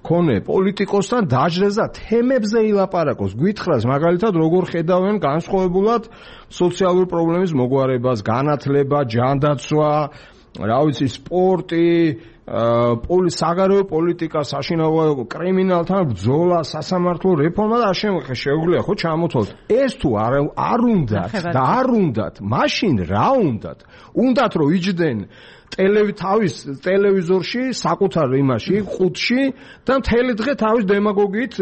მქონე პოლიტიკოსთან დაჯდეს და თემებზე ილაპარაკოს. გითხრას მაგალითად როგორ ხედავენ განსხვავებულად სოციალური პრობლემის მოგვარებას, განათლება, ჯანდაცვა, რა ვიცი, სპორტი, პოლი საგარეო პოლიტიკა, საშინაო კრიმინალთან ბრძოლა, სასამართლო რეფორმა და ამავე შეუძლია ხო ჩამოთვალოთ. ეს თუ არ არ უნდათ და არ უნდათ, მაშინ რა უნდათ? უნდათ რომ იჯდნენ ტელევი თავის ტელევიზორში, საკუთარ იმაში, ყუთში და მთელი დღე თავის დემაგოგიით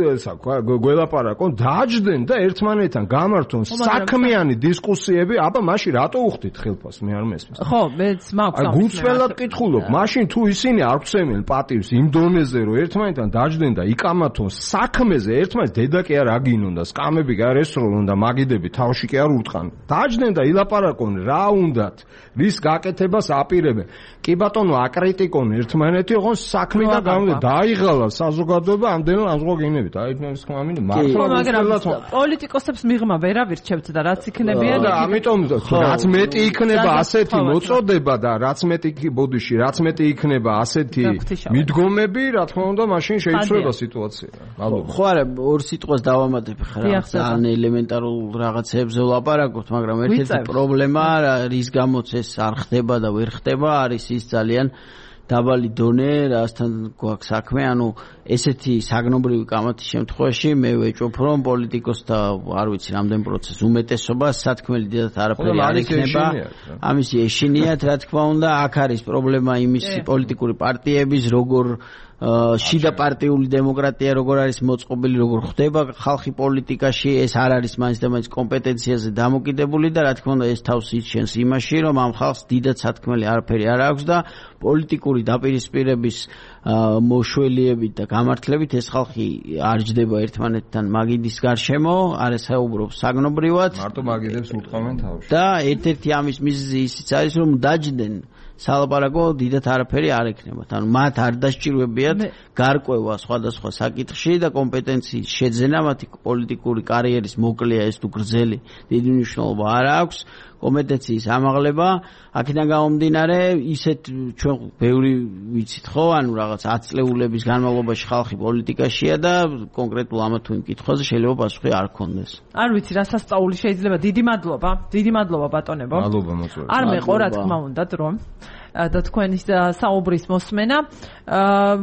გველაპარაკონ, დაჯდნენ და ერთმანეთთან გამართონ საქმიანი დისკუსიები. აბა მაშინ რატო უხდით ხელფას? მე არ მესმის. ხო, მეც მაქვს. აი გუწველად კითხულობ, მაშინ თუ ისინი არ გვცემენ პატივს იმ დონეზე, რომ ერთმანეთთან დაჯდნენ და იკამათონ საქმეზე, ერთმანეთს დედა კი არ აგინონ და სკამები კი არ ესროლონ და მაგიდები თავში კი არ ურტყან. დაჯდნენ და ილაპარაკონ რა უნდათ, რის გაკეთებას აპირებენ. კი ბატონო, აკრიტიკონ ერთმანეთი, ოღონ საქმე და გამოდე დაიღალა საზოგადოება ამდენ ამზღოგინებით. აი ეს ხმამინი მართლა პოლიტიკოსებს მიღმა ვერ ავირჩევთ და რაც იქნებიან და ამიტომ რაც მეტი იქნება ასეთი მოწოდება და რაც მეტი ბოდიში, რაც მეტი იქნება ასეთი მიდგომები, რა თქმა უნდა, მაშინ შეიცვლება სიტუაცია. მადლობა. ხო არა, ორ სიტყვას დავამატებ ხარ, ძალიან ელემენტარულ რაღაცებზე ვლაპარაკობთ, მაგრამ ერთ-ერთი პრობლემა რის გამოც ეს არ ხდება და ვერ ხდება არის ის ძალიან დაბალი დონე, რასთან გვაქვს საქმე, ანუ ესეთი საგნობრივი კამათის შემთხვევაში მე ვეჭვობ, რომ პოლიტიკოსთა არ ვიცი რამდენ პროცენტს უმეტესობა სათქმელი დიდად არაფერი არ იქნება. ამისი ეშინიათ, რა თქმა უნდა, აქ არის პრობლემა იმის პოლიტიკური პარტიების, როგორ შიდა პარტიული დემოკრატია როგორ არის მოწყობილი, როგორ ხდება ხალხი პოლიტიკაში, ეს არ არის მაინც და მაინც კომპეტენციაზე დამოკიდებული და რა თქმა უნდა ეს თავს იჩენს იმაში, რომ ამ ხალხს დიდად სათქმელი არაფერი არ აქვს და პოლიტიკური დაპირისპირების მოშველიებით და გამართლებით ეს ხალხი არ ჯდება ერთმანეთთან მაგიდის გარშემო, არ ესაუბრობს საგნობრივად. მარტო მაგიდებს უტყავენ თავში. და ერთ-ერთი ამის მიზეზი ისიც არის, რომ დაჯდნენ სალაპარაკო დიდად არაფერი არ ექნება. ანუ მათ არ დასჭირვებიათ გარკვევა სხვადასხვა საკითხში და კომპეტენციის შეძენა მათი პოლიტიკური კარიერის მოკლეა ეს თუ გრძელი დიდი მნიშვნელობა არ აქვს. კომპეტენციის ამაღლება, აქედან გამომდინარე, ისეთ ჩვენ ბევრი ვიცით ხო, ანუ რაღაც ათი წლეულების განმავლობაში ხალხი პოლიტიკაშია და კონკრეტულ ამა თუ იმ კითხვაზე შეიძლება პასუხი არ ქონდეს. არ ვიცი, რა სასწაული შეიძლება. დიდი მადლობა, დიდი მადლობა ბატონებო. მადლობა მოწვევით. არ მეყო რა თქმა უნდა რომ და თქვენი საუბრის მოსმენა.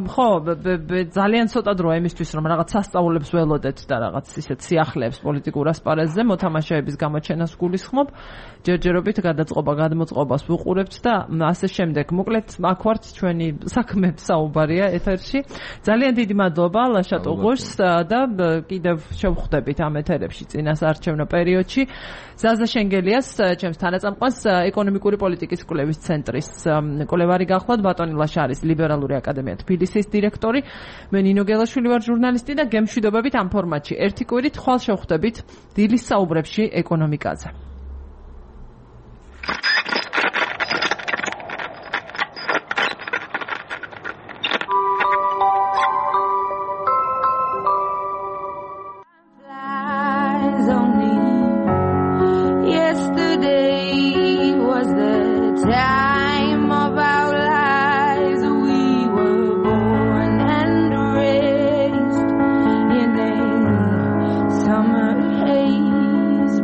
ხო, ძალიან ცოტა დროა იმისთვის, რომ რაღაც სასწაულებს ველოდეთ და რაღაც ისეთ სიახლეებს პოლიტიკურ ასპარეზზე მოთამაშეების გამოჩენას გულისხმობ. ჯერჯერობით გადაწყობა, გადმოწყობას ვუყურებთ და ასე შემდეგ. მოკლედ, აქ ვართ ჩვენი საქმე საუბარია ეთერში. ძალიან დიდი მადლობა ლაშა ტუღუშს და კიდევ შევხვდებით ამ ეთერებში წინასაარჩევნო პერიოდში. ზაზა შენგელიას, ჩემს თანაწამყვანს, ეკონომიკური პოლიტიკის კვლევის ცენტრის კვლევარი გახლავთ. ბატონი ლაშა არის ლიბერალური აკადემია თბილისის დირექტორი. მე ნინო გელაშვილი ვარ ჟურნალისტი და გემშვიდობებით ამ ფორმატში. ერთი კვირით ხვალ შევხვდებით დილის საუბრებში ეკონომიკაზე.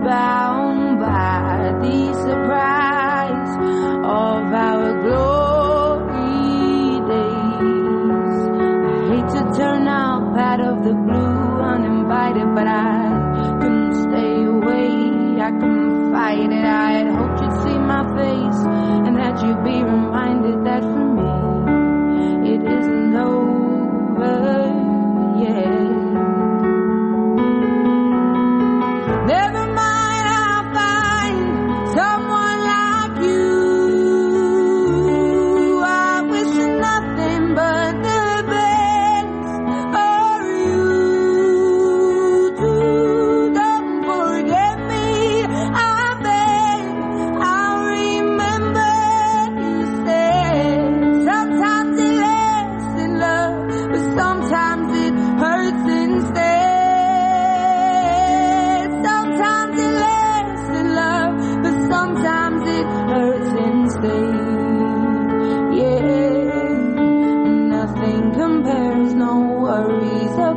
Bound by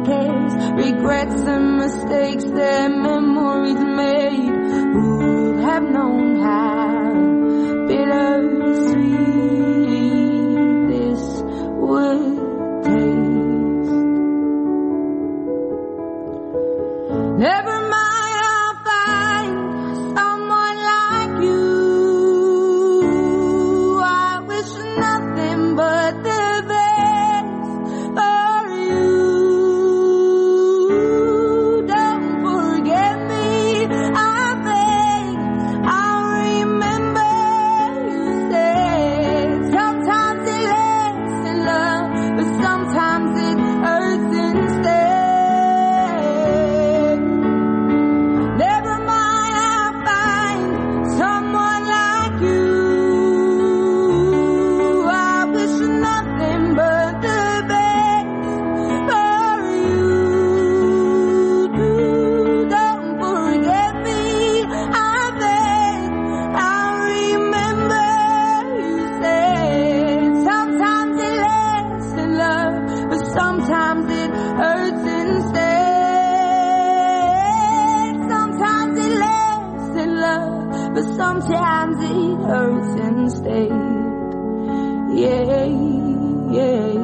cares? Regrets and mistakes that memories made. Who would have known how bittersweet this would taste? Never mind, I'll find someone like you. I wish nothing but the best for you. Don't forget me, I beg. I'll remember you said. Sometimes it lasts in love, but sometimes it hurts instead. Never mind, I'll find someone like you. I wish nothing but the best for you. Don't forget me, I beg. I'll remember you said. Sometimes it lasts in love, but sometimes it hurts instead. Sometimes it lasts in love, but sometimes it hurts instead. Yeah, yeah.